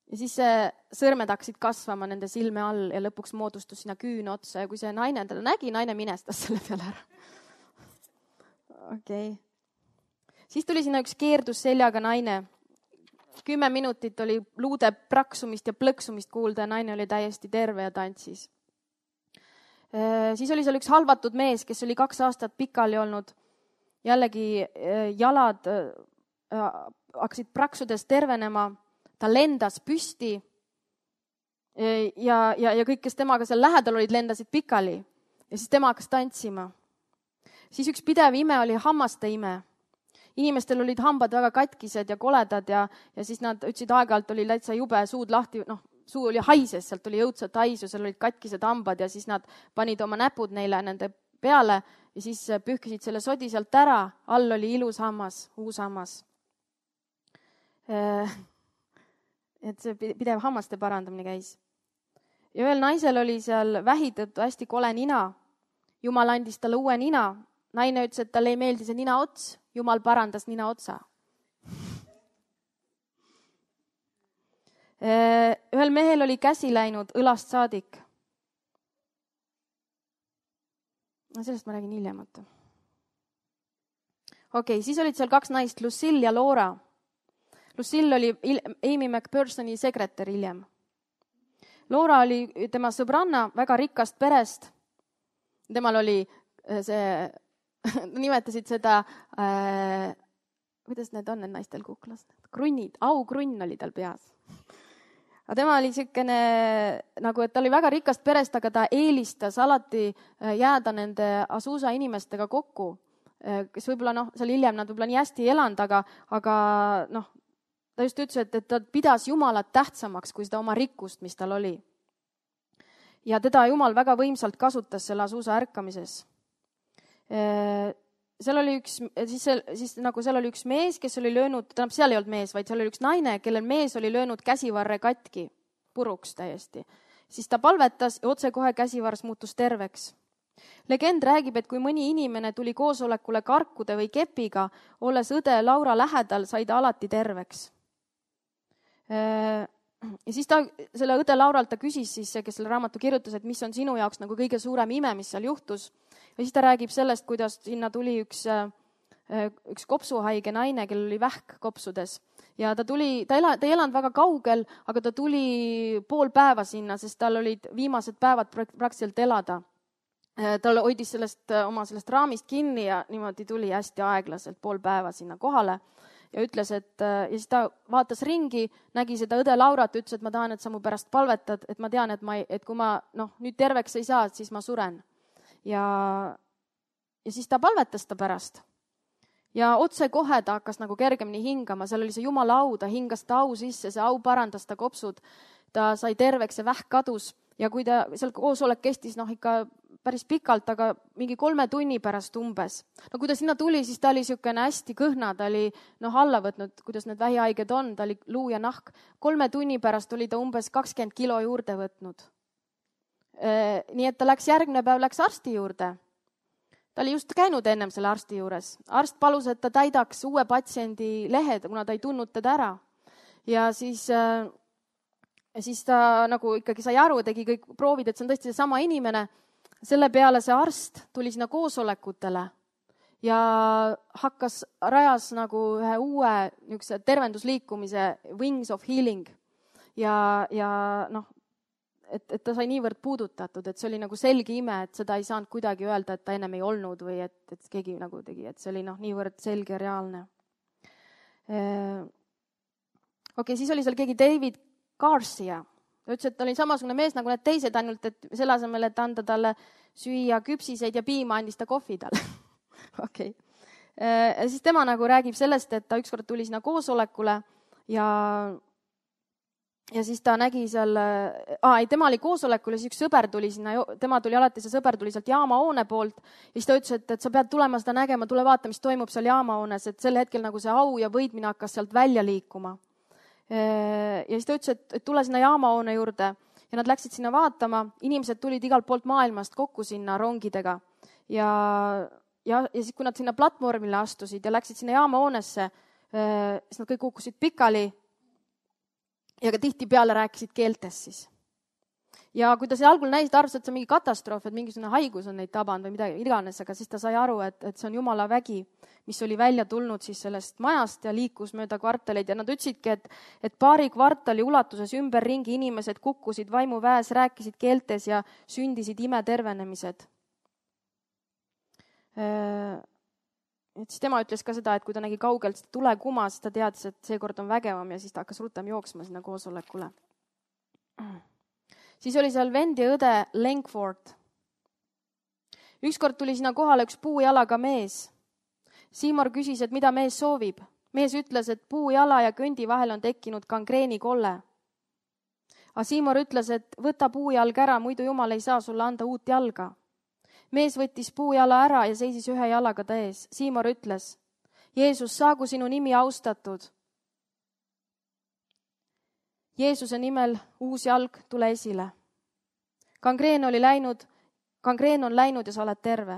ja siis see sõrmed hakkasid kasvama nende silme all ja lõpuks moodustus sinna küün otsa ja kui see naine teda nägi, naine minestas selle peale ära. Okei. Okay. Siis tuli sinna üks keerdus seljaga naine. Kümme minutit oli luude praksumist ja plõksumist kuulda ja naine oli täiesti terve ja tantsis. Siis oli seal üks halvatud mees, kes oli kaks aastat pikali olnud. Jällegi jalad hakkasid praksudes tervenema. Ta lendas püsti ja, ja, ja kõik, kes temaga seal lähedal olid, lendasid pikali. Ja siis tema hakkas tantsima. Siis üks pidev ime oli hammaste ime. Inimestel olid hambad väga katkised ja koledad ja, ja siis nad ütlesid aeg-ajalt oli täitsa jube suud lahti, noh, suu oli haises, sealt oli jõudsat haisu, seal olid katkised hambad ja siis nad panid oma näpud neile nende peale ja siis pühkisid selle sodi sealt ära. All oli ilus hammas, uus hammas. Et see pidev hammaste parandamine käis. Ja ühel naisel oli seal vähi tõttu hästi kole nina. Jumal andis talle uue nina. Naine ütles, et talle ei meeldi see nina ots. Jumal parandas nina otsa. Ühel mehel oli käsi läinud õlast saadik. No sellest ma räägin hiljem. Okei, siis olid seal kaks naist, Lucille ja Laura. Lucille oli Amy McPhersoni sekretär hiljem. Laura oli tema sõbranna väga rikkast perest. Temal oli see, nimetasid seda, äh, kuidas need on need naistel kuklas? Krunnid, aukrunn oli tal peas. Aga tema oli siukene, nagu, et ta oli väga rikast perest, aga ta eelistas alati jääda nende Azusa inimestega kokku, kes võib-olla, noh, seal hiljem nad võib-olla nii hästi ei elanud, aga, aga noh, ta just ütles, et, et ta pidas Jumalat tähtsamaks kui seda oma rikkust, mis tal oli. Ja teda Jumal väga võimsalt kasutas selle Azusa ärkamises. Seal oli üks, siis, siis nagu seal oli üks mees, kes oli löönud, tähendab, seal ei olnud mees, vaid seal oli üks naine, kellel mees oli löönud käsivarre katki, puruks täiesti. Siis ta palvetas ja otsekohe käsivars muutus terveks. Legend räägib, et kui mõni inimene tuli koosolekule karkude või kepiga, olles õde Laura lähedal, sai ta alati terveks. Ja siis ta, selle õde Lauralt ta küsis siis, kes selle raamatu kirjutas, et mis on sinu jaoks nagu kõige suurem ime, mis seal juhtus. Ja siis ta räägib sellest, kuidas sinna tuli üks, üks kopsuhaige naine, kellel oli vähk kopsudes. Ja ta tuli, ta, ela, ta ei elanud väga kaugel, aga ta tuli pool päeva sinna, sest tal olid viimased päevad praktiliselt elada. Ta hoidis sellest, oma sellest raamist kinni ja niimoodi tuli hästi aeglaselt pool päeva sinna kohale. Ja ütles, et ja siis ta vaatas ringi, nägi seda õde Laurat, ütles, et ma tahan, et sa mu pärast palvetad, et ma tean, et, ma, et kui ma noh, nüüd terveks ei saa, siis ma suren. Ja, ja siis ta palvetas ta pärast. Ja otse kohe ta hakkas nagu kergemini hingama, seal oli see Jumala au, ta hingas ta au sisse, see au parandas ta kopsud, ta sai terveks ja vähk kadus ja kui ta seal koosolek kestis noh ikka päris pikalt, aga mingi kolme tunni pärast umbes. No kui ta sinna tuli, siis ta oli niisugune hästi kõhna, ta oli noh, alla võtnud, kuidas need vähihaiged on, ta oli luu ja nahk. Kolme tunni pärast oli ta umbes kakskümmend kilo juurde võtnud. Nii et ta läks järgmine päev, läks arsti juurde. Ta oli just käinud ennem selle arsti juures. Arst palus, et ta täidaks uue patsiendi lehed, kuna ta ei tundnud teda ära. Ja siis... Ja siis ta nagu ikkagi sai aru, tegi kõik proovid, et see on tõesti see sama inimene. Selle peale see arst tuli sinna koosolekutele ja hakkas, rajas nagu ühe uue niisuguse tervendusliikumise Wings of Healing. Ja, ja noh, et, et ta sai niivõrd puudutatud, et see oli nagu selge ime, et seda ei saanud kuidagi öelda, et ta ennem ei olnud või et, et keegi nagu tegi, et see oli noh, niivõrd selge ja reaalne. Okei, okay, siis oli seal keegi David Garcia. Ta ütles, et ta oli samasugune mees nagu need teised, ainult et selle asemel, et anda talle süüa küpsiseid ja piima, andis ta kohvi talle. Okei. Ja siis tema nagu räägib sellest, et ta ükskord tuli sinna koosolekule ja, ja siis ta nägi seal, aa, ei, tema oli koosolekul ja siis üks sõber tuli sinna, tema tuli alati, see sõber tuli sealt jaamahoone poolt ja siis ta ütles, et, et sa pead tulema seda nägema, tule vaata, mis toimub seal jaamahoones, et sel hetkel nagu see au ja võidmine hakkas sealt välja liikuma. Ja siis ta ütles, et, et tule sinna jaamahoone juurde ja nad läksid sinna vaatama. Inimesed tulid igalt poolt maailmast kokku sinna rongidega ja, ja, ja siis, kui nad sinna platvormile astusid ja läksid sinna jaamahoonesse, siis nad kõik kukkusid pikali ja ka tihti peale rääkisid keeltes siis. Ja kui ta see algul näis, ta arvas, et see on mingi katastroof, et mingisugune haigus on neid tabanud või midagi iganes, aga siis ta sai aru, et, et see on Jumala vägi, mis oli välja tulnud siis sellest majast ja liikus mööda kvartaleid ja nad ütlesidki, et, et paari kvartali ulatuses ümberringi inimesed kukkusid vaimuväes, rääkisid keeltes ja sündisid imetervenemised. Et siis tema ütles ka seda, et kui ta nägi kaugelt tule kuma, siis ta teadis, et seekord on vägevam ja siis ta hakkas rutem jooksma sinna koosolekule. Siis oli seal vend ja õde Langford. Ükskord tuli sinna kohale üks puujalaga mees. Siimor küsis, et mida mees soovib. Mees ütles, et puujala ja kõndi vahel on tekkinud gangreeni kolle. Aga Siimor ütles, et võta puujalg ära, muidu Jumal ei saa sulle anda uut jalga. Mees võttis puujala ära ja seisis ühe jalaga ta ees. Siimor ütles, Jeesus, saagu sinu nimi austatud. Jeesuse nimel uus jalg, tule esile. Gangreen oli läinud, gangreen on läinud ja sa oled terve.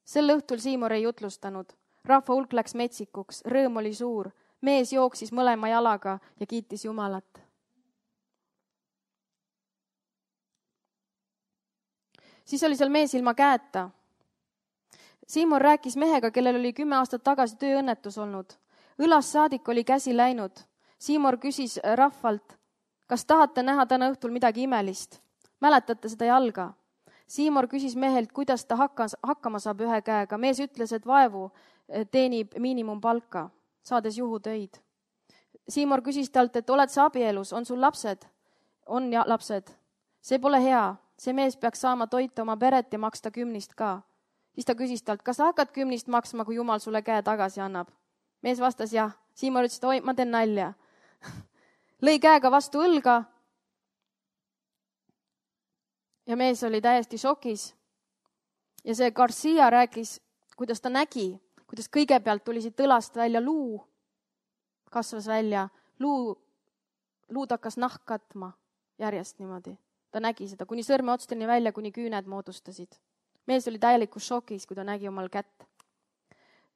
Sel õhtul Siimor ei jutlustanud. Rahva hulk läks metsikuks, rõõm oli suur. Mees jooksis mõlema jalaga ja kiitis Jumalat. Siis oli seal mees ilma käeta. Siimor rääkis mehega, kellel oli kümme aastat tagasi tööõnnetus olnud. Õlast saadik oli käsi läinud. Siimor küsis rahvalt, kas tahate näha täna õhtul midagi imelist? Mäletate seda jalga? Siimor küsis mehelt, kuidas ta hakkas, hakkama saab ühe käega. Mees ütles, et vaevu teenib miinimumpalka, saades juhutöid. Siimor küsis talt, et oled sa abielus, on sul lapsed? On ja lapsed. See pole hea. See mees peaks saama toita oma peret ja maksta kümnist ka. Siis ta küsis talt, kas sa hakkad kümnist maksma, kui Jumal sulle käe tagasi annab? Mees vastas jah. Siimor ütles, et oi, ma teen nalja. Lõi käega vastu õlga ja mees oli täiesti šokis. Ja see Garcia rääkis, kuidas ta nägi, kuidas kõigepealt tuli siit õlast välja luu, kasvas välja, luu, luud hakkas nahk katma järjest niimoodi. Ta nägi seda, kuni sõrme otsteni välja, kuni küüned moodustasid. Mees oli täielikus šokis, kui ta nägi omal kätt.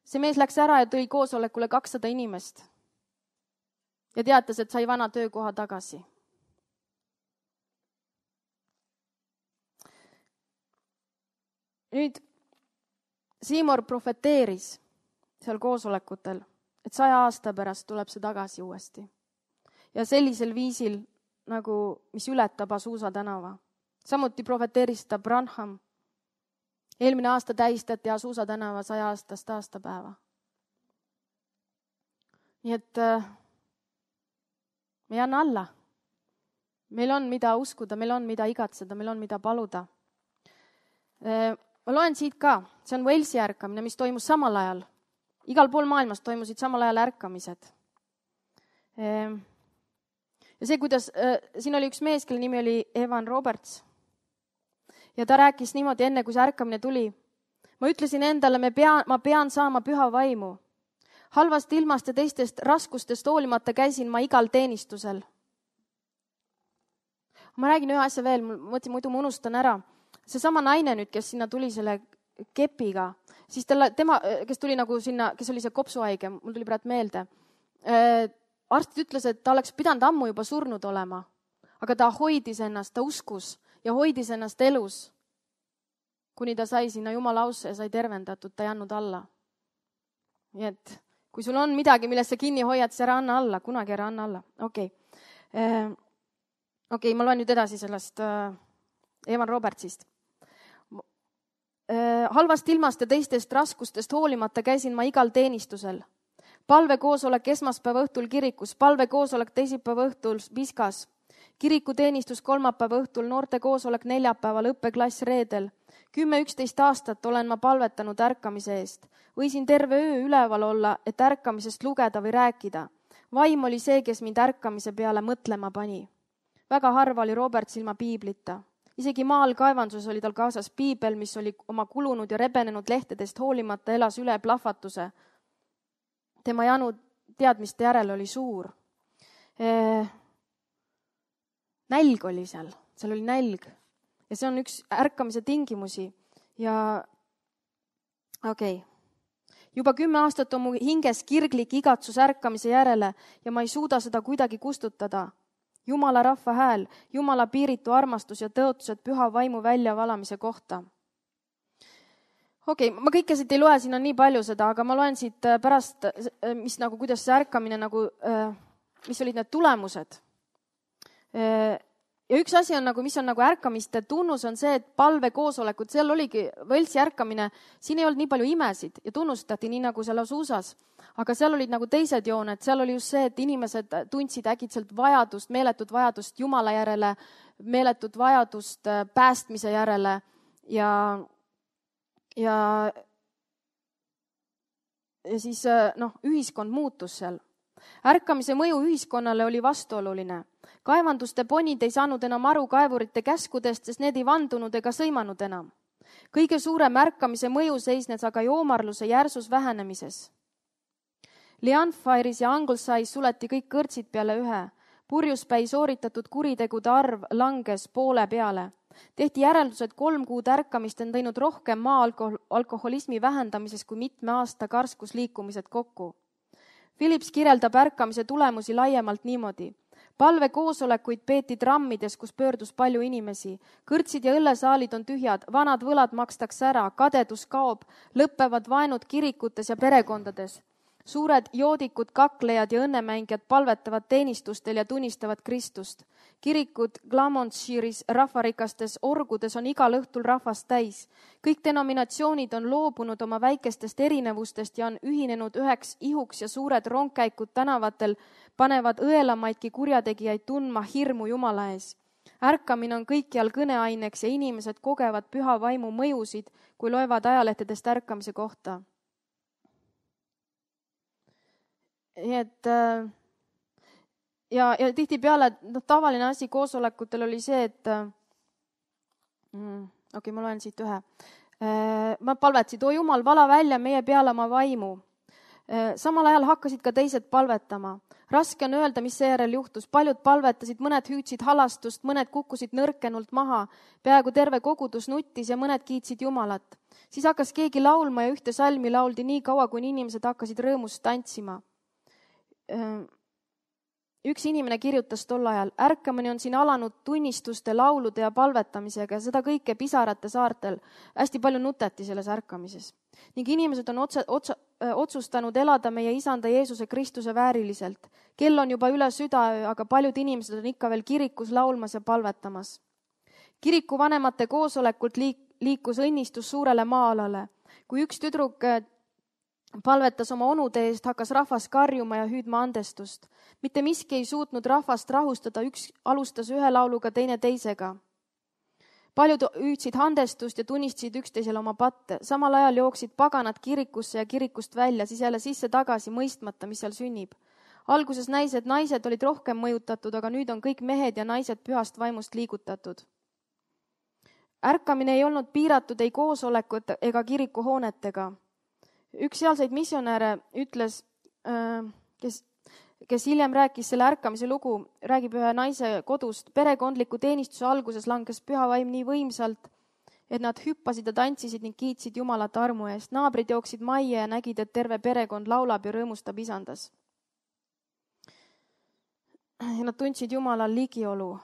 See mees läks ära ja tõi koosolekule kakssada inimest. Ja teatas, et sai vana töökoha tagasi. Nüüd Siimor profeteeris seal koosolekutel, et saja aasta pärast tuleb see tagasi uuesti. Ja sellisel viisil, nagu mis ületab Azusa tänava. Samuti profeteeris ta Branham. Eelmine aasta tähistati Azusa tänava saja aastast aastapäeva. Nii et me ei anna alla. Meil on mida uskuda, meil on mida igatseda, meil on mida paluda. Ma loen siit ka, see on Walesi ärkamine, mis toimus samal ajal. Igal pool maailmas toimusid samal ajal ärkamised. Ja see, kuidas, siin oli üks mees, kelle nimi oli Evan Roberts. ja ta rääkis niimoodi enne, kui see ärkamine tuli. Ma ütlesin endale, me pean, ma pean saama püha vaimu. Halvast ilmast ja teistest raskustest hoolimata käisin ma igal teenistusel. Ma räägin ühe asja veel, mõtlesin, muidu ma unustan ära. Seesama naine nüüd, kes sinna tuli selle kepiga, siis tema, tema, kes tuli nagu sinna, kes oli see kopsuhaige, mul tuli praegu meelde. Arstid ütles, et ta oleks pidanud ammu juba surnud olema, aga ta hoidis ennast, ta uskus ja hoidis ennast elus, kuni ta sai sinna Jumala ausse ja sai tervendatud, ta ei andnud alla. Nii et kui sul on midagi, millest sa kinni hoiad, siis ära anna alla, kunagi ära anna alla. Okei, okay. Okei, okay, ma loen nüüd edasi sellest Evan Robertsist. Halvast ilmast ja teistest raskustest hoolimata käisin ma igal teenistusel. Palvekoosolek esmaspäeva õhtul kirikus, palvekoosolek teisipäeva õhtul Piskas, kirikuteenistus kolmapäeva õhtul, noorte koosolek neljapäeval, õppeklass reedel. Kümme üksteist aastat olen ma palvetanud ärkamise eest. Võisin terve öö üleval olla, et ärkamisest lugeda või rääkida. Vaim oli see, kes mind ärkamise peale mõtlema pani. Väga harva oli Robert ilma piiblita. Isegi maal kaevanduses oli tal kaasas piibel, mis oli oma kulunud ja rebenenud lehtedest hoolimata elas üle plahvatuse. Tema janu teadmiste järel oli suur. Eh, nälg oli seal, seal oli nälg. Ja see on üks ärkamise tingimusi. Ja okei. Okay. Juba kümme aastat on mu hinges kirglik igatsus ärkamise järele ja ma ei suuda seda kuidagi kustutada. Jumala rahva hääl, Jumala piiritu armastus ja tõotused püha vaimu väljavalamise kohta. Okei, okay, ma kõike siit ei loe, siin on nii palju seda, aga ma loen siit pärast, mis nagu, kuidas see ärkamine nagu, mis olid need tulemused. Ja üks asi on nagu, mis on nagu ärkamiste tunnus on see, et palvekoosolekud, seal oligi võltsi ärkamine, siin ei olnud nii palju imesid ja tunnustati nii nagu seal Asusas, aga seal olid nagu teised jooned, seal oli just see, et inimesed tundsid äkitselt vajadust, meeletut vajadust Jumala järele, meeletut vajadust päästmise järele ja, ja, ja siis noh, ühiskond muutus seal. Ärkamise mõju ühiskonnale oli vastuoluline. Kaevanduste ponid ei saanud enam aru kaevurite käskudest, sest need ei vandunud ega sõimanud enam. Kõige suurem ärkamise mõju seisnes aga joomarluse järsus vähenemises. Leanfire'is ja Anglesais suleti kõik kõrtsid peale ühe. Purjuspäi sooritatud kuritegude arv langes poole peale. Tehti järeldused kolm kuud ärkamist on teinud rohkem maa alkoholismi vähendamises kui mitme aasta karskusliikumised kokku. Philips kirjeldab ärkamise tulemusi laiemalt niimoodi. Palvekoosolekuid peeti trammides, kus pöördus palju inimesi. Kõrtsid ja õllesaalid on tühjad, vanad võlad makstakse ära, kadedus kaob, lõppevad vaenud kirikutes ja perekondades. Suured joodikud, kaklejad ja õnnemängijad palvetavad teenistustel ja tunnistavad Kristust. Kirikud Glamonshire'is rahvarikastes orgudes on igal õhtul rahvast täis. Kõik denominatsioonid on loobunud oma väikestest erinevustest ja on ühinenud üheks ihuks ja suured rongkäikud tänavatel panevad õelamaidki kurjategijaid tundma hirmu Jumala ees. Ärkamine on kõikjal kõneaineks ja inimesed kogevad püha vaimu mõjusid, kui loevad ajalehtedest ärkamise kohta. Nii et ja, ja tihti peale no, tavaline asi koosolekutel oli see, et mm, okei, okay, ma loen siit ühe. Ma palvetsid, o Jumal, vala välja meie peale oma vaimu. Samal ajal hakkasid ka teised palvetama. Raske on öelda, mis seejärel juhtus. Paljud palvetasid, mõned hüüdsid halastust, mõned kukkusid nõrkenult maha. Peaaegu terve kogudus nuttis ja mõned kiitsid Jumalat. Siis hakkas keegi laulma ja ühte salmi lauldi nii kaua, kui inimesed hakkasid rõõmust tantsima. Üks inimene kirjutas tol ajal, ärkamine on siin alanud tunnistuste, laulude ja palvetamisega ja seda kõike pisarate saartel. Hästi palju nuteti selles ärkamises. Ning inimesed on otse, otse, otsustanud elada meie isanda Jeesuse Kristuse vääriliselt. Kell on juba üle südaöö, aga paljud inimesed on ikka veel kirikus laulmas ja palvetamas. Kiriku vanemate koosolekult liik, liikus õnnistus suurele maa-alale. Kui üks tüdruk palvetas oma onude eest, hakkas rahvas karjuma ja hüüdma andestust. Mitte miski ei suutnud rahvast rahustada, üks alustas ühe lauluga, teine teisega. Paljud hüüdsid andestust ja tunnistasid üksteisele oma patte. Samal ajal jooksid paganad kirikusse ja kirikust välja, siis jälle sisse tagasi mõistmata, mis seal sünnib. Alguses naised, naised olid rohkem mõjutatud, aga nüüd on kõik mehed ja naised pühast vaimust liigutatud. ärkamine ei olnud piiratud ei koosolekut ega kirikuhoonetega. Üks sealseid missionäre ütles, kes, kes hiljem rääkis selle ärkamise lugu, räägib ühe naise kodust. Perekondliku teenistuse alguses langes püha vaim nii võimsalt, et nad hüppasid ja tantsisid ning kiitsid Jumalat armu eest. Naabrid jooksid majja ja nägid, et terve perekond laulab ja rõõmustab isandas. Ja nad tundsid Jumalal ligiolu.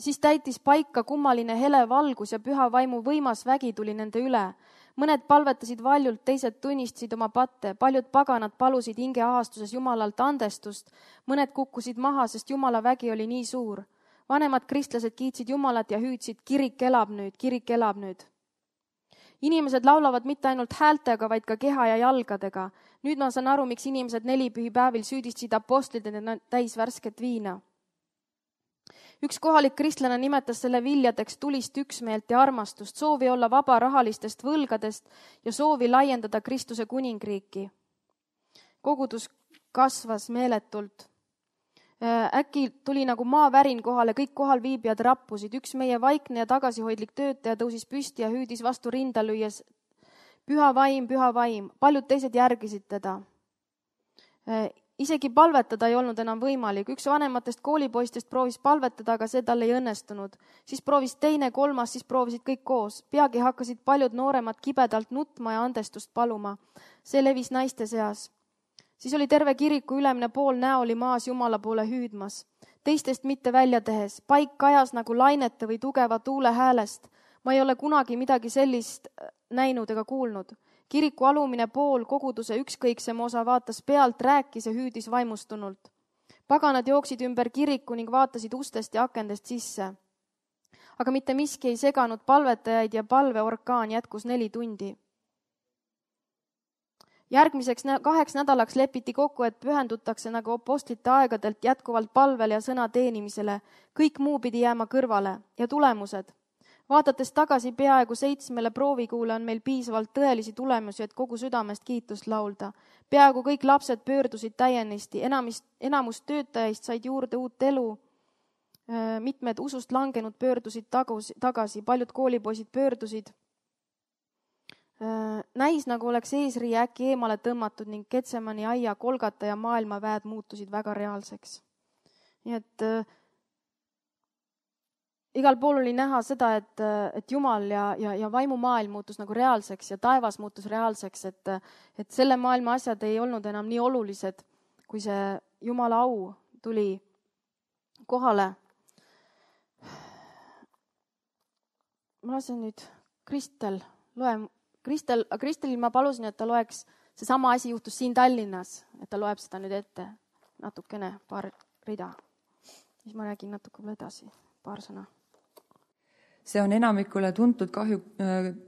Siis täitis paika kummaline hele valgus ja püha vaimu võimas vägi tuli nende üle. Mõned palvetasid valjult, teised tunnistasid oma patte. Paljud paganad palusid hingeahastuses Jumalalt andestust. Mõned kukkusid maha, sest Jumala vägi oli nii suur. Vanemad kristlased kiitsid Jumalat ja hüüdsid, kirik elab nüüd, kirik elab nüüd. Inimesed laulavad mitte ainult häältega, vaid ka keha ja jalgadega. Nüüd ma saan aru, miks inimesed nelipühipäevil süüdistasid apostlid, et nad täis värsket viina. Üks kohalik kristlane nimetas selle viljadeks tulist üksmeelt ja armastust, soovi olla vaba rahalistest võlgadest ja soovi laiendada Kristuse kuningriiki. Kogudus kasvas meeletult. Äkki tuli nagu maavärin kohale, kõik kohal viibijad rappusid. Üks meie vaikne ja tagasihoidlik töötaja tõusis püsti ja hüüdis vastu rinda lüües, püha vaim, püha vaim. Paljud teised järgisid teda. Isegi palvetada ei olnud enam võimalik. Üks vanematest koolipoistest proovis palvetada, aga see tal ei õnnestunud. Siis proovis teine, kolmas, siis proovisid kõik koos. Peagi hakkasid paljud nooremad kibedalt nutma ja andestust paluma. See levis naiste seas. Siis oli terve kiriku ülemine pool näoli maas Jumala poole hüüdmas. Teistest mitte välja tehes. Paik kajas nagu lainete või tugeva tuule häälest. Ma ei ole kunagi midagi sellist näinud ega kuulnud. Kiriku alumine pool, koguduse ükskõiksem osa vaatas pealt, rääkis ja hüüdis vaimustunult. Paganad jooksid ümber kiriku ning vaatasid ustest ja akendest sisse. Aga mitte miski ei seganud palvetajaid ja palveorkaan jätkus neli tundi. Järgmiseks kaheks nädalaks lepiti kokku, et pühendutakse nagu apostlite aegadelt jätkuvalt palvele ja sõna teenimisele. Kõik muu pidi jääma kõrvale ja tulemused. Vaadates tagasi peaaegu seitsmele proovikuule on meil piisavalt tõelisi tulemusi, et kogu südamest kiitust laulda. Peaaegu kõik lapsed pöördusid täienisti, enamus, enamus töötajaist said juurde uut elu. Mitmed usust langenud pöördusid tagasi, paljud koolipoisid pöördusid. Näis nagu oleks eesrii äkki eemale tõmmatud ning Getsemani aia, Kolgata ja maailmaväed muutusid väga reaalseks. Nii et äh, igal pool oli näha seda, et, et Jumal ja, ja, ja vaimumaailm muutus nagu reaalseks ja taevas muutus reaalseks, et, et selle maailma asjad ei olnud enam nii olulised, kui see Jumala au tuli kohale. Ma lasen nüüd Kristel loe Kristel, Kristelil ma palusin, et ta loeks, see sama asi juhtus siin Tallinnas, et ta loeb seda nüüd ette natukene, paar rida. Siis ma räägin natuke edasi, paar sõna. See on enamikule tuntud, kahju,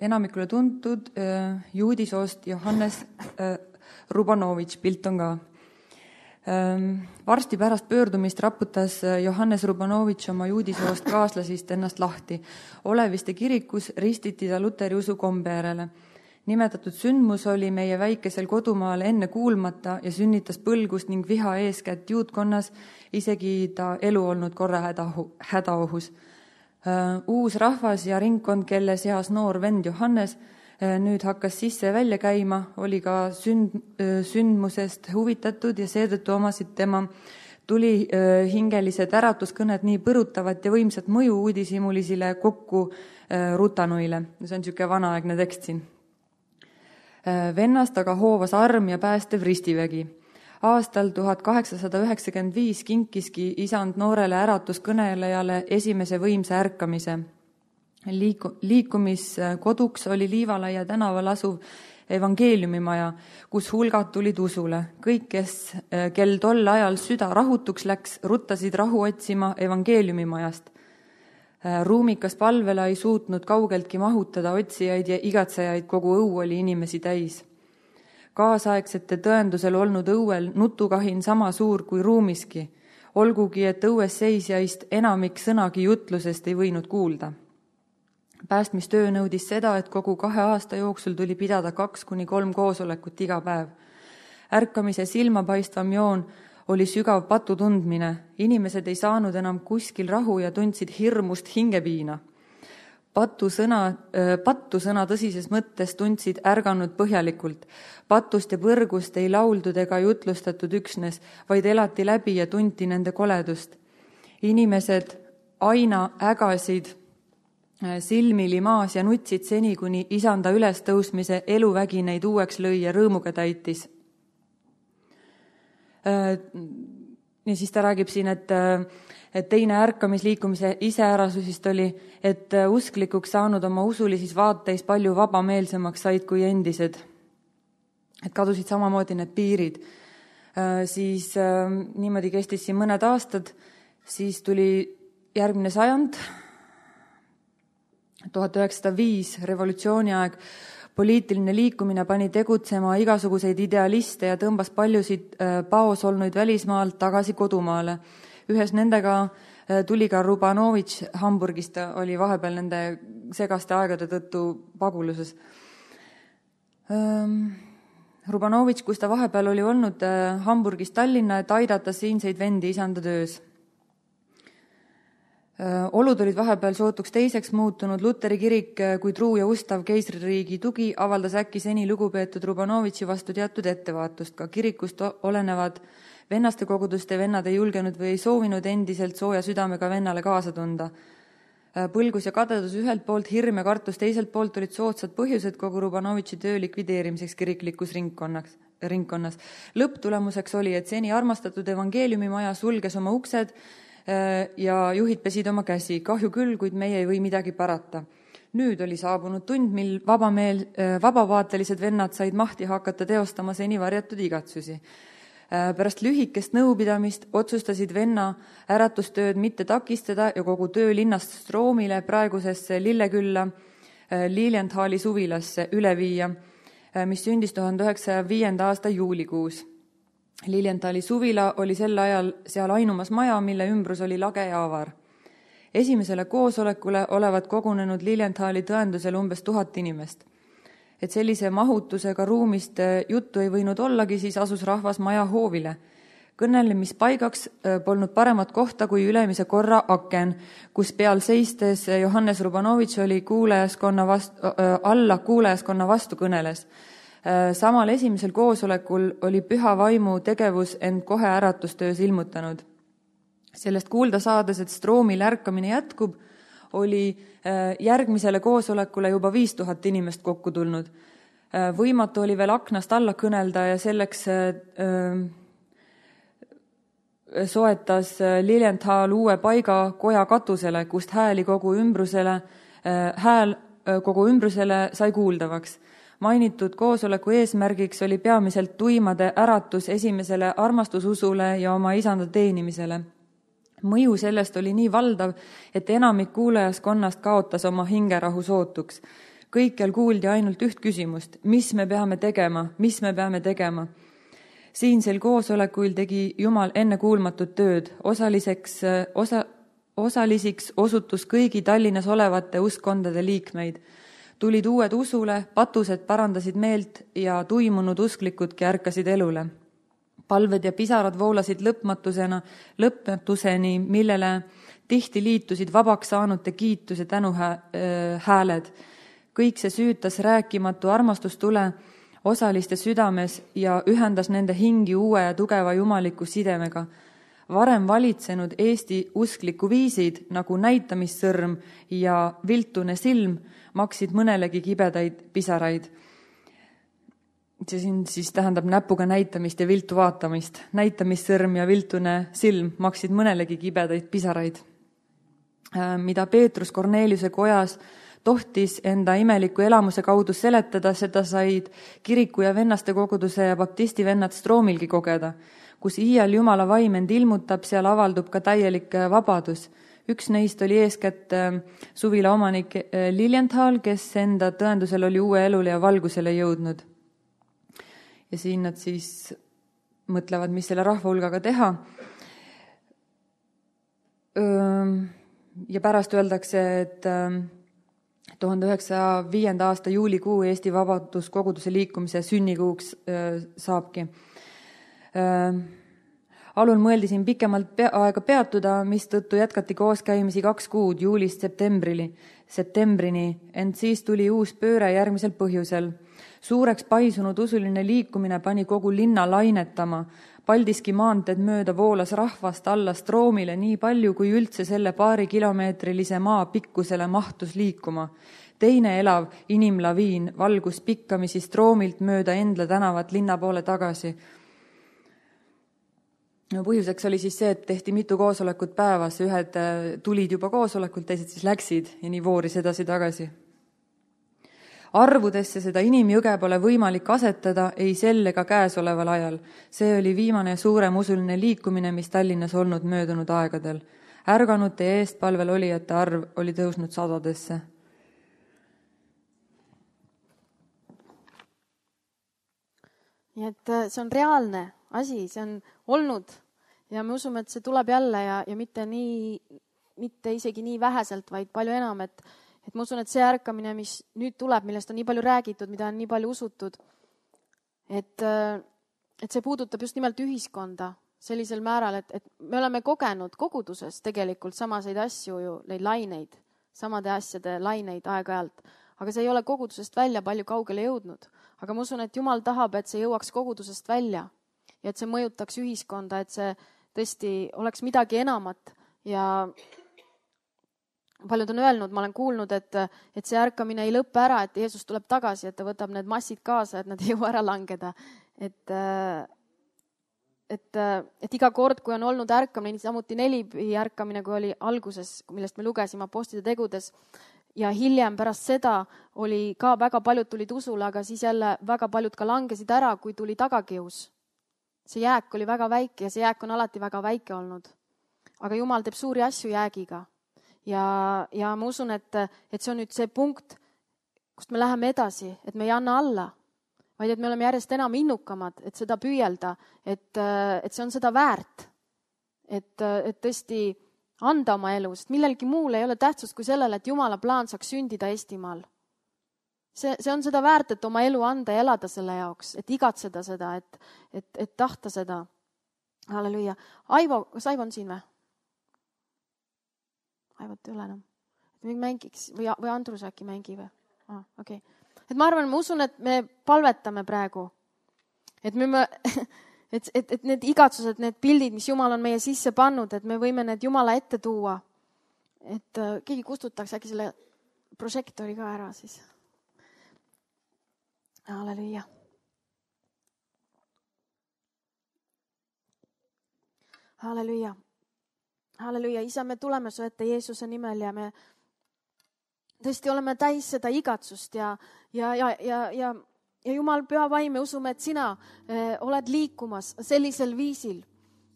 enamikule tuntud äh, juudisoost Johannes äh, Rubanovitš, pilt on ka. Ähm, varsti pärast pöördumist raputas Johannes Rubanovitš oma juudisoost kaaslasist ennast lahti. Oleviste kirikus ristiti ta luteri usu kombe järele. Nimetatud sündmus oli meie väikesel kodumaal enne kuulmata ja sünnitas põlgust ning viha eeskätt juutkonnas, isegi ta elu olnud korra hädaohus. Uus rahvas ja ringkond, kelle seas noor vend Johannes nüüd hakkas sisse välja käima, oli ka sünd, sündmusest huvitatud ja seetõttu omasid tema tuli hingelised äratuskõned nii põrutavat ja võimsat mõju uudishimulisile kokku rutanuile. See on niisugune vanaaegne tekst siin. Vennast aga hoovas arm ja päästev ristivägi. Aastal tuhat kaheksasada üheksakümmend viis kinkiski isand noorele äratuskõnelejale esimese võimsa ärkamise. Liiku, liikumiskoduks oli Liivalaia tänaval asuv evangeeliumimaja, kus hulgad tulid usule. Kõik, kes, kel tol ajal süda rahutuks läks, ruttasid rahu otsima evangeeliumimajast. Ruumikas palvela ei suutnud kaugeltki mahutada otsijaid ja igatsejaid, kogu õu oli inimesi täis. Kaasaegsete tõendusel olnud õuel nutukahin sama suur kui ruumiski, olgugi et õues seisjaist enamik sõnagi jutlusest ei võinud kuulda. Päästmistöö nõudis seda, et kogu kahe aasta jooksul tuli pidada kaks kuni kolm koosolekut iga päev. Ärkamise silmapaistvam joon oli sügav patu tundmine. Inimesed ei saanud enam kuskil rahu ja tundsid hirmust hingepiina. Patu sõna, pattu sõna tõsises mõttes tundsid ärganud põhjalikult. Patust ja põrgust ei lauldud ega jutlustatud üksnes, vaid elati läbi ja tunti nende koledust. Inimesed aina ägasid silmili maas ja nutsid seni, kuni isanda ülestõusmise eluvägi neid uueks lõi ja rõõmuga täitis. Ja siis ta räägib siin, et, et teine ärkamisliikumise iseärasusist oli, et usklikuks saanud oma usulisis vaateis palju vabameelsemaks said kui endised. Et kadusid samamoodi need piirid. Siis niimoodi kestis siin mõned aastad, siis tuli järgmine sajand, tuhat üheksasada viis, revolutsiooni aeg. Poliitiline liikumine pani tegutsema igasuguseid idealiste ja tõmbas paljusid paos olnuid välismaalt tagasi kodumaale. Ühes nendega tuli ka Rubanovitš Hamburgist, ta oli vahepeal nende segaste aegade tõttu paguluses. Rubanovitš, kus ta vahepeal oli olnud Hamburgist Tallinna, et aidata siinseid vendi isanda töös. Olud olid vahepeal sootuks teiseks muutunud. Luteri kirik kui truu ja ustav keisririigi tugi avaldas äkki seni lugupeetud Rubanovitši vastu teatud ettevaatust. Ka kirikust olenevad vennaste koguduste vennad ei julgenud või ei soovinud endiselt sooja südamega vennale kaasa tunda. Põlgus ja kadedus ühelt poolt, hirm ja kartus teiselt poolt olid soodsad põhjused kogu Rubanovitši töö likvideerimiseks kiriklikus ringkonnas. ringkonnas. Lõpptulemuseks oli, et seni armastatud evangeeliumimaja sulges oma uksed ja juhid pesid oma käsi. Kahju küll, kuid meie ei või midagi parata. Nüüd oli saabunud tund, mil vabameel, vabavaatelised vennad said mahti hakata teostama seni varjatud igatsusi. Pärast lühikest nõupidamist otsustasid venna äratustööd mitte takistada ja kogu töö linnast Stroomile praegusesse Lillekülla Lilienthal'i suvilasse üle viia, mis sündis tuhande üheksasaja viienda aasta juulikuus. Lilienthal'i suvila oli sel ajal seal ainumas maja, mille ümbrus oli lage ja avar. Esimesele koosolekule olevat kogunenud Lilienthal'i tõendusel umbes tuhat inimest. Et sellise mahutusega ruumist juttu ei võinud ollagi, siis asus rahvas maja hoovile. Kõnelemispaigaks polnud paremat kohta kui ülemise korra aken, kus peal seistes Johannes Rubanovitš oli kuulajaskonna vastu, alla kuulajaskonna vastu kõneles. Samal esimesel koosolekul oli püha vaimu tegevus end kohe äratustöös ilmutanud. Sellest kuulda saades, et Stroomil ärkamine jätkub, oli järgmisele koosolekule juba viis tuhat inimest kokku tulnud. Võimatu oli veel aknast alla kõnelda ja selleks soetas Lilienthal uue paiga koja katusele, kust hääli kogu ümbrusele, hääl kogu ümbrusele sai kuuldavaks. Mainitud koosoleku eesmärgiks oli peamiselt tuimade äratus esimesele armastususule ja oma isanda teenimisele. Mõju sellest oli nii valdav, et enamik kuulajaskonnast kaotas oma hingerahu sootuks. Kõikjal kuuldi ainult üht küsimust, mis me peame tegema, mis me peame tegema. Siinsel koosolekuil tegi Jumal enne kuulmatud tööd. Osaliseks, osa, osalisiks osutus kõigi Tallinnas olevate uskkondade liikmeid. Tulid uued usule, patused parandasid meelt ja tuimunud usklikudki ärkasid elule. Palved ja pisarad voolasid lõpmatusena, lõpmatuseni, millele tihti liitusid vabaks saanute kiitus ja tänuhääled. Kõik see süütas rääkimatu armastustule osaliste südames ja ühendas nende hingi uue ja tugeva jumaliku sidemega. Varem valitsenud Eesti uskliku viisid nagu näitamissõrm ja viltune silm maksid mõnelegi kibedaid pisaraid. See siin siis tähendab näpuga näitamist ja viltu vaatamist. Näitamissõrm ja viltune silm maksid mõnelegi kibedaid pisaraid. Mida Peetrus Korneliuse kojas tohtis enda imeliku elamuse kaudu seletada, seda said kiriku ja vennaste koguduse ja baptisti vennad Stroomilgi kogeda. Kus iial Jumala vaim end ilmutab, seal avaldub ka täielik vabadus. Üks neist oli eeskätt suvila omanik Lilienthal, kes enda tõendusel oli uue elule ja valgusele jõudnud. Ja siin nad siis mõtlevad, mis selle rahva hulgaga teha. Ja pärast öeldakse, et tuhande üheksasaja viienda aasta juulikuu Eesti Vabaduskoguduse liikumise sünnikuuks saabki. alul mõeldi siin pikemalt pea, aega peatuda, mistõttu jätkati kooskäimisi kaks kuud juulist septembrini, septembrini, ent siis tuli uus pööre järgmisel põhjusel. Suureks paisunud usuline liikumine pani kogu linna lainetama. Paldiski maanteed mööda voolas rahvast alla Stroomile nii palju, kui üldse selle paari kilomeetrilise maa pikkusele mahtus liikuma. Teine elav inimlaviin valgus pikkamisi Stroomilt mööda Endla tänavat linna poole tagasi. No, põhjuseks oli siis see, et tehti mitu koosolekut päevas, ühed tulid juba koosolekult, teised siis läksid ja nii vooris edasi tagasi. Arvudesse seda inimjõge pole võimalik asetada ei sel ega käesoleval ajal. See oli viimane suurem usuline liikumine, mis Tallinnas olnud möödunud aegadel. Ärganute ja eestpalvel olijate arv oli tõusnud sadadesse. Nii et see on reaalne asi, see on olnud ja me usume, et see tuleb jälle ja, ja mitte, nii, mitte isegi nii väheselt, vaid palju enam, et, et ma usun, et see ärkamine, mis nüüd tuleb, millest on nii palju räägitud, mida on nii palju usutud, et, et see puudutab just nimelt ühiskonda sellisel määral, et, et me oleme kogenud koguduses tegelikult samaseid asju ju, neid laineid, samade asjade laineid aeg-ajalt, aga see ei ole kogudusest välja palju kaugele jõudnud. Aga ma usun, et Jumal tahab, et see jõuaks kogudusest välja ja et see mõjutaks ühiskonda, et see tõesti oleks midagi enamat. Ja paljud on öelnud, ma olen kuulnud, et, et see ärkamine ei lõppe ära, et Jeesus tuleb tagasi, et ta võtab need massid kaasa, et nad ei jõua ära langeda. Et, et, et iga kord, kui on olnud ärkamine, samuti nelipi ärkamine, kui oli alguses, millest me lugesime Apostlite tegudes, ja hiljem pärast seda oli ka väga paljud tulid usule, aga siis jälle väga paljud ka langesid ära, kui tuli tagakius. See jääk oli väga väike ja see jääk on alati väga väike olnud. Aga Jumal teeb suuri asju jäägiga. Ja, ja ma usun, et, et see on nüüd see punkt, kust me läheme edasi, et me ei anna alla, vaid et me oleme järjest enam innukamad, et seda püüelda, et, et see on seda väärt, et, et tõesti anda oma elu, sest millelgi muul ei ole tähtsust kui sellele, et Jumala plaan saaks sündida Eestimaal. See, see on seda väärt, et oma elu anda ja elada selle jaoks, et igatseda seda, et, et, et tahta seda. Halleluja. Aivo, kas Aivo on siin või? Aivot ei ole enam. Et mängiks või, või Andrus äkki mängi või? Ah, okay. Et ma arvan, ma usun, et me palvetame praegu. Et me... me Et, et, et need igatsused, need pildid, mis Jumal on meie sisse pannud, et me võime need Jumala ette tuua. Et uh, keegi kustutaks äkki selle prožektori ka ära siis. Halleluja. Halleluja. Halleluja. Isa, me tuleme su ette Jeesuse nimel ja me tõesti oleme täis seda igatsust ja, ja, ja, ja, ja Ja Jumal, püha vaim, me usume, et sina eh, oled liikumas sellisel viisil,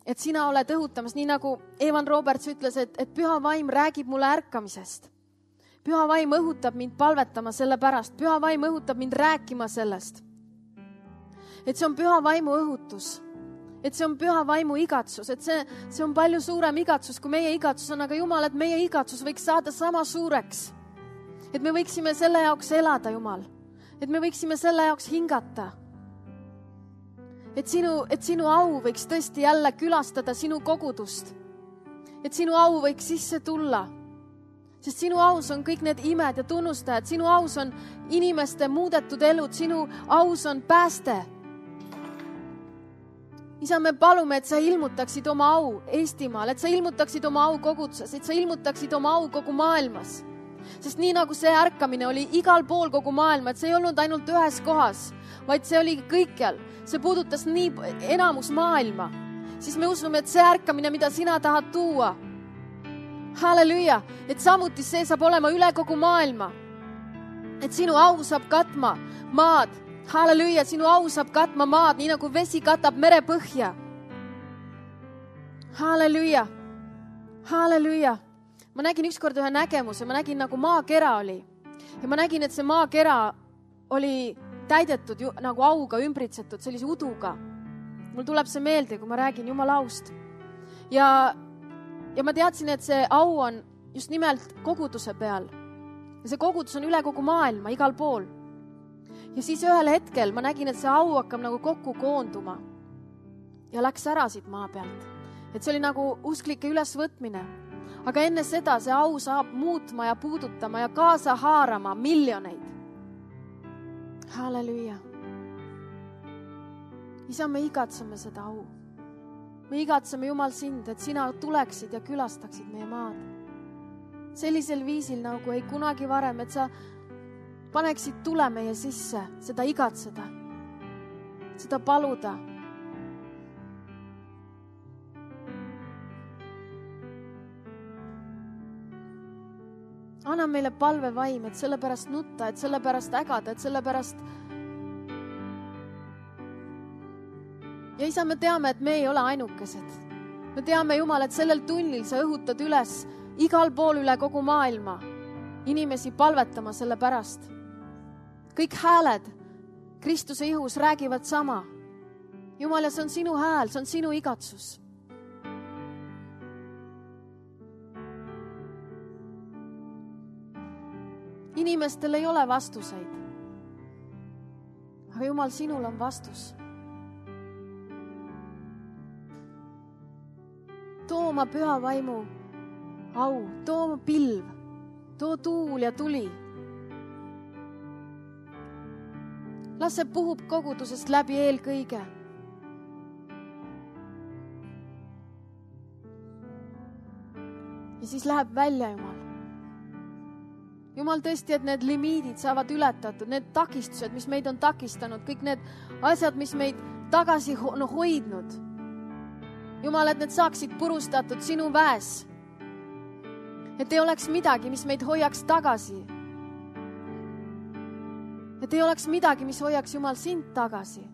et sina oled õhutamas, nii nagu Evan Roberts ütles, et, et püha vaim räägib mulle ärkamisest. Püha vaim õhutab mind palvetama selle pärast, püha vaim õhutab mind rääkima sellest. Et see on püha vaimu õhutus, et see on püha vaimu igatsus, et see, see on palju suurem igatsus, kui meie igatsus on, aga Jumal, et meie igatsus võiks saada sama suureks, et me võiksime selle jaoks elada, Jumal. Et me võiksime selle jaoks hingata. Et sinu, et sinu au võiks tõesti jälle külastada sinu kogudust. Et sinu au võiks sisse tulla. Sest sinu aus on kõik need imed ja tunnustajad. Sinu aus on inimeste muudetud elud. Sinu aus on pääste. Isa, me palume, et sa ilmutaksid oma au Eestimaal. Et sa ilmutaksid oma au koguduses. Et sa ilmutaksid oma au kogu maailmas. Sest nii nagu see ärkamine oli igal pool kogu maailma, et see ei olnud ainult ühes kohas, vaid see oli kõikjal. See puudutas nii enamus maailma. Siis me usume, et see ärkamine, mida sina tahad tuua, halleluja, et samuti see saab olema üle kogu maailma. Et sinu au saab katma maad, halleluja, sinu au saab katma maad, nii nagu vesi katab merepõhja. Halleluja, halleluja. Ma nägin ükskord ühe nägemuse, ma nägin nagu maakera oli. Ja ma nägin, et see maakera oli täidetud ju, nagu auga ümbritsetud, sellise uduga. Mul tuleb see meelde, kui ma räägin Jumala aust. Ja, ja ma teadsin, et see au on just nimelt koguduse peal. Ja see kogudus on üle kogu maailma, igal pool. Ja siis ühel hetkel ma nägin, et see au hakkab nagu kokku koonduma. ja läks ära siit maa pealt. Et see oli nagu usklike ülesvõtmine. Aga enne seda see au saab muutma ja puudutama ja kaasa haarama miljoneid. Halleluja. Isa, me igatseme seda au. Me igatseme, Jumal, sind, et sina tuleksid ja külastaksid meie maad. Sellisel viisil nagu ei kunagi varem, et sa paneksid tule meie sisse, seda igatseda, seda paluda. Anna meile palvevaim, et sellepärast nutta, et sellepärast ägada, et sellepärast... Ja isa, me teame, et me ei ole ainukesed. Me teame, Jumal, et sellel tunnil sa õhutad üles igal pool üle kogu maailma inimesi palvetama selle pärast. Kõik hääled Kristuse ihus räägivad sama. Jumal, ja see on sinu hääl, see on sinu igatsus. Inimestel ei ole vastuseid. Aga Jumal, sinul on vastus. Too oma püha vaimu au, too oma pilv, too tuul ja tuli. Las see puhub kogudusest läbi eelkõige. Ja siis läheb välja, Jumal. Jumal, tõesti, et need limiidid saavad ületatud, need takistused, mis meid on takistanud, kõik need asjad, mis meid tagasi ho- no, hoidnud. Jumal, et need saaksid purustatud sinu väes. Et ei oleks midagi, mis meid hoiaks tagasi. Et ei oleks midagi, mis hoiaks, Jumal, sind tagasi.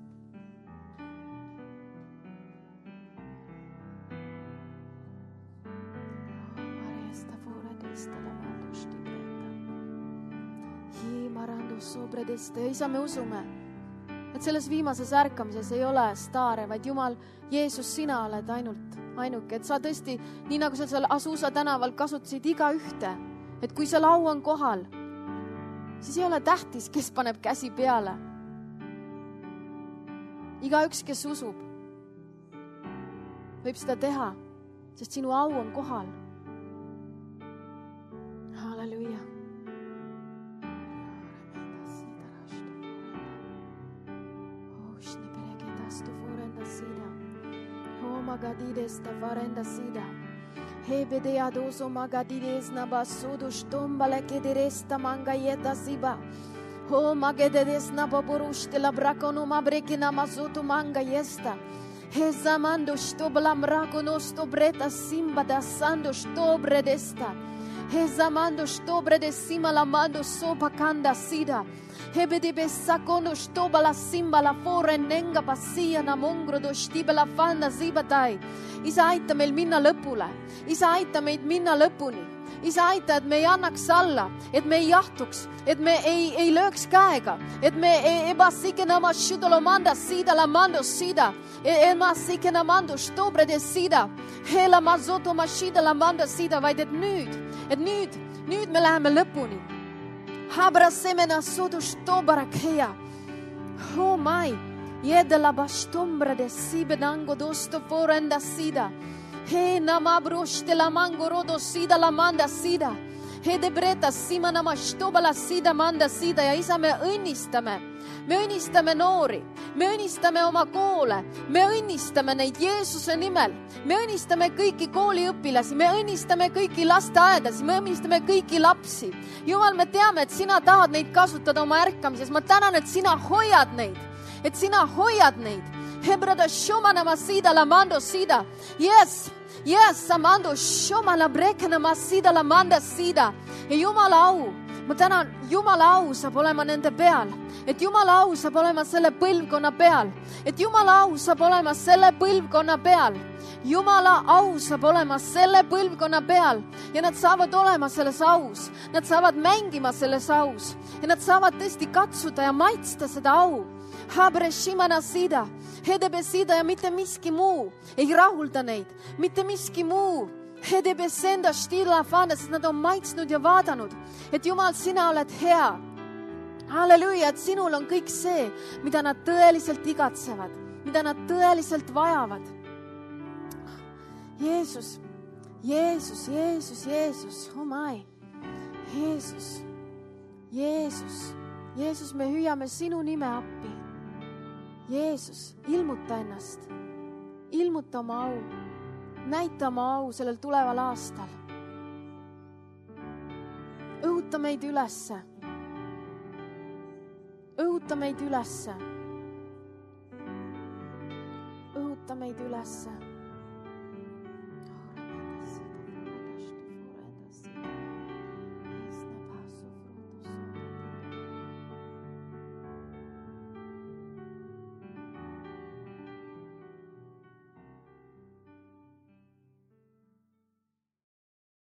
Ja isa, me usume, et selles viimases ärkamises ei ole staare, vaid Jumal, Jeesus, sina oled ainult ainuke, et sa tõesti, nii nagu sa seal Asusa tänaval kasutasid iga ühte, et kui seal au on kohal, siis ei ole tähtis, kes paneb käsi peale. Iga üks, kes usub, võib seda teha, sest sinu au on kohal. Halleluja. Magadides ta farenda sida. Hebede adoso magadides na basudo stombale kederesta mangayeta siba. Ho magedes na baburushte la bracono mabrekina mazoto mangayesta. Hezamando stobla mracono stobreta simba da sando stobre desta. Hezamando stobre de sima la mando sopa kanda sida. Hebede bessakono stoba la simba la fore nenga passia na mongro do stibe la fanna zibatai. Isa, aita meil minna lõpule. Isa, aita meid minna lõpuni. Isa, aita, et me ei annaks alla, et me ei jahtuks, et me ei, ei lööks käega, et me ei ebasikena ma šudolo manda sida la mando sida, ema sikena mando stobre de sida, hela ma zoto ma šida la manda sida, vaid et nüüd, et nüüd, nüüd me läheme lõpuni. Habra semena sodu stobarakea. Oh mai, jede la bastombre de sibenango dosto forenda sida. He namabrošte la mango rodo sida la manda sida. He debreta sima nama stoba la sida manda sida. Ja isa, me õnnistame. Me õnnistame noori. Me õnnistame oma koole. Me õnnistame neid Jeesuse nimel. Me õnnistame kõiki kooliõpilasi. Me õnnistame kõiki lasteaedasi. Me õnnistame kõiki lapsi. Jumal, me teame, et sina tahad neid kasutada oma ärkamises. Ma tänan, et sina hoiad neid. Et sina hoiad neid. Hebrada šomana ma sida la mando sida. Yes, yes, samando šoma la brekena ma sida la manda sida. Ja Jumala au, ma tänan, Jumala au saab olema nende peal. Et Jumala au saab olema selle põlvkonna peal. Et Jumala au saab olema selle põlvkonna peal. Jumala au saab olema selle põlvkonna peal. Ja nad saavad olema selles aus. Nad saavad mängima selles aus. Ja nad saavad tõesti katsuda ja maitsta seda au. Habre shimana sida. Hedebe sida ja mitte miski muu ei rahulda neid. Mitte miski muu. Hedebe senda stila fanda, sest nad on maitsnud ja vaadanud. Et Jumal, sina oled hea. Halleluja, et sinul on kõik see, mida nad tõeliselt igatsevad. mida nad tõeliselt vajavad. Jeesus, Jeesus, Jeesus, Jeesus, oh my, Jeesus, Jeesus, Jeesus, me hüüame sinu nime appi. Jeesus, ilmuta ennast, ilmuta oma au, näita oma au sellel tuleval aastal. Õhuta meid ülesse, õhuta meid ülesse, õhuta meid ülesse.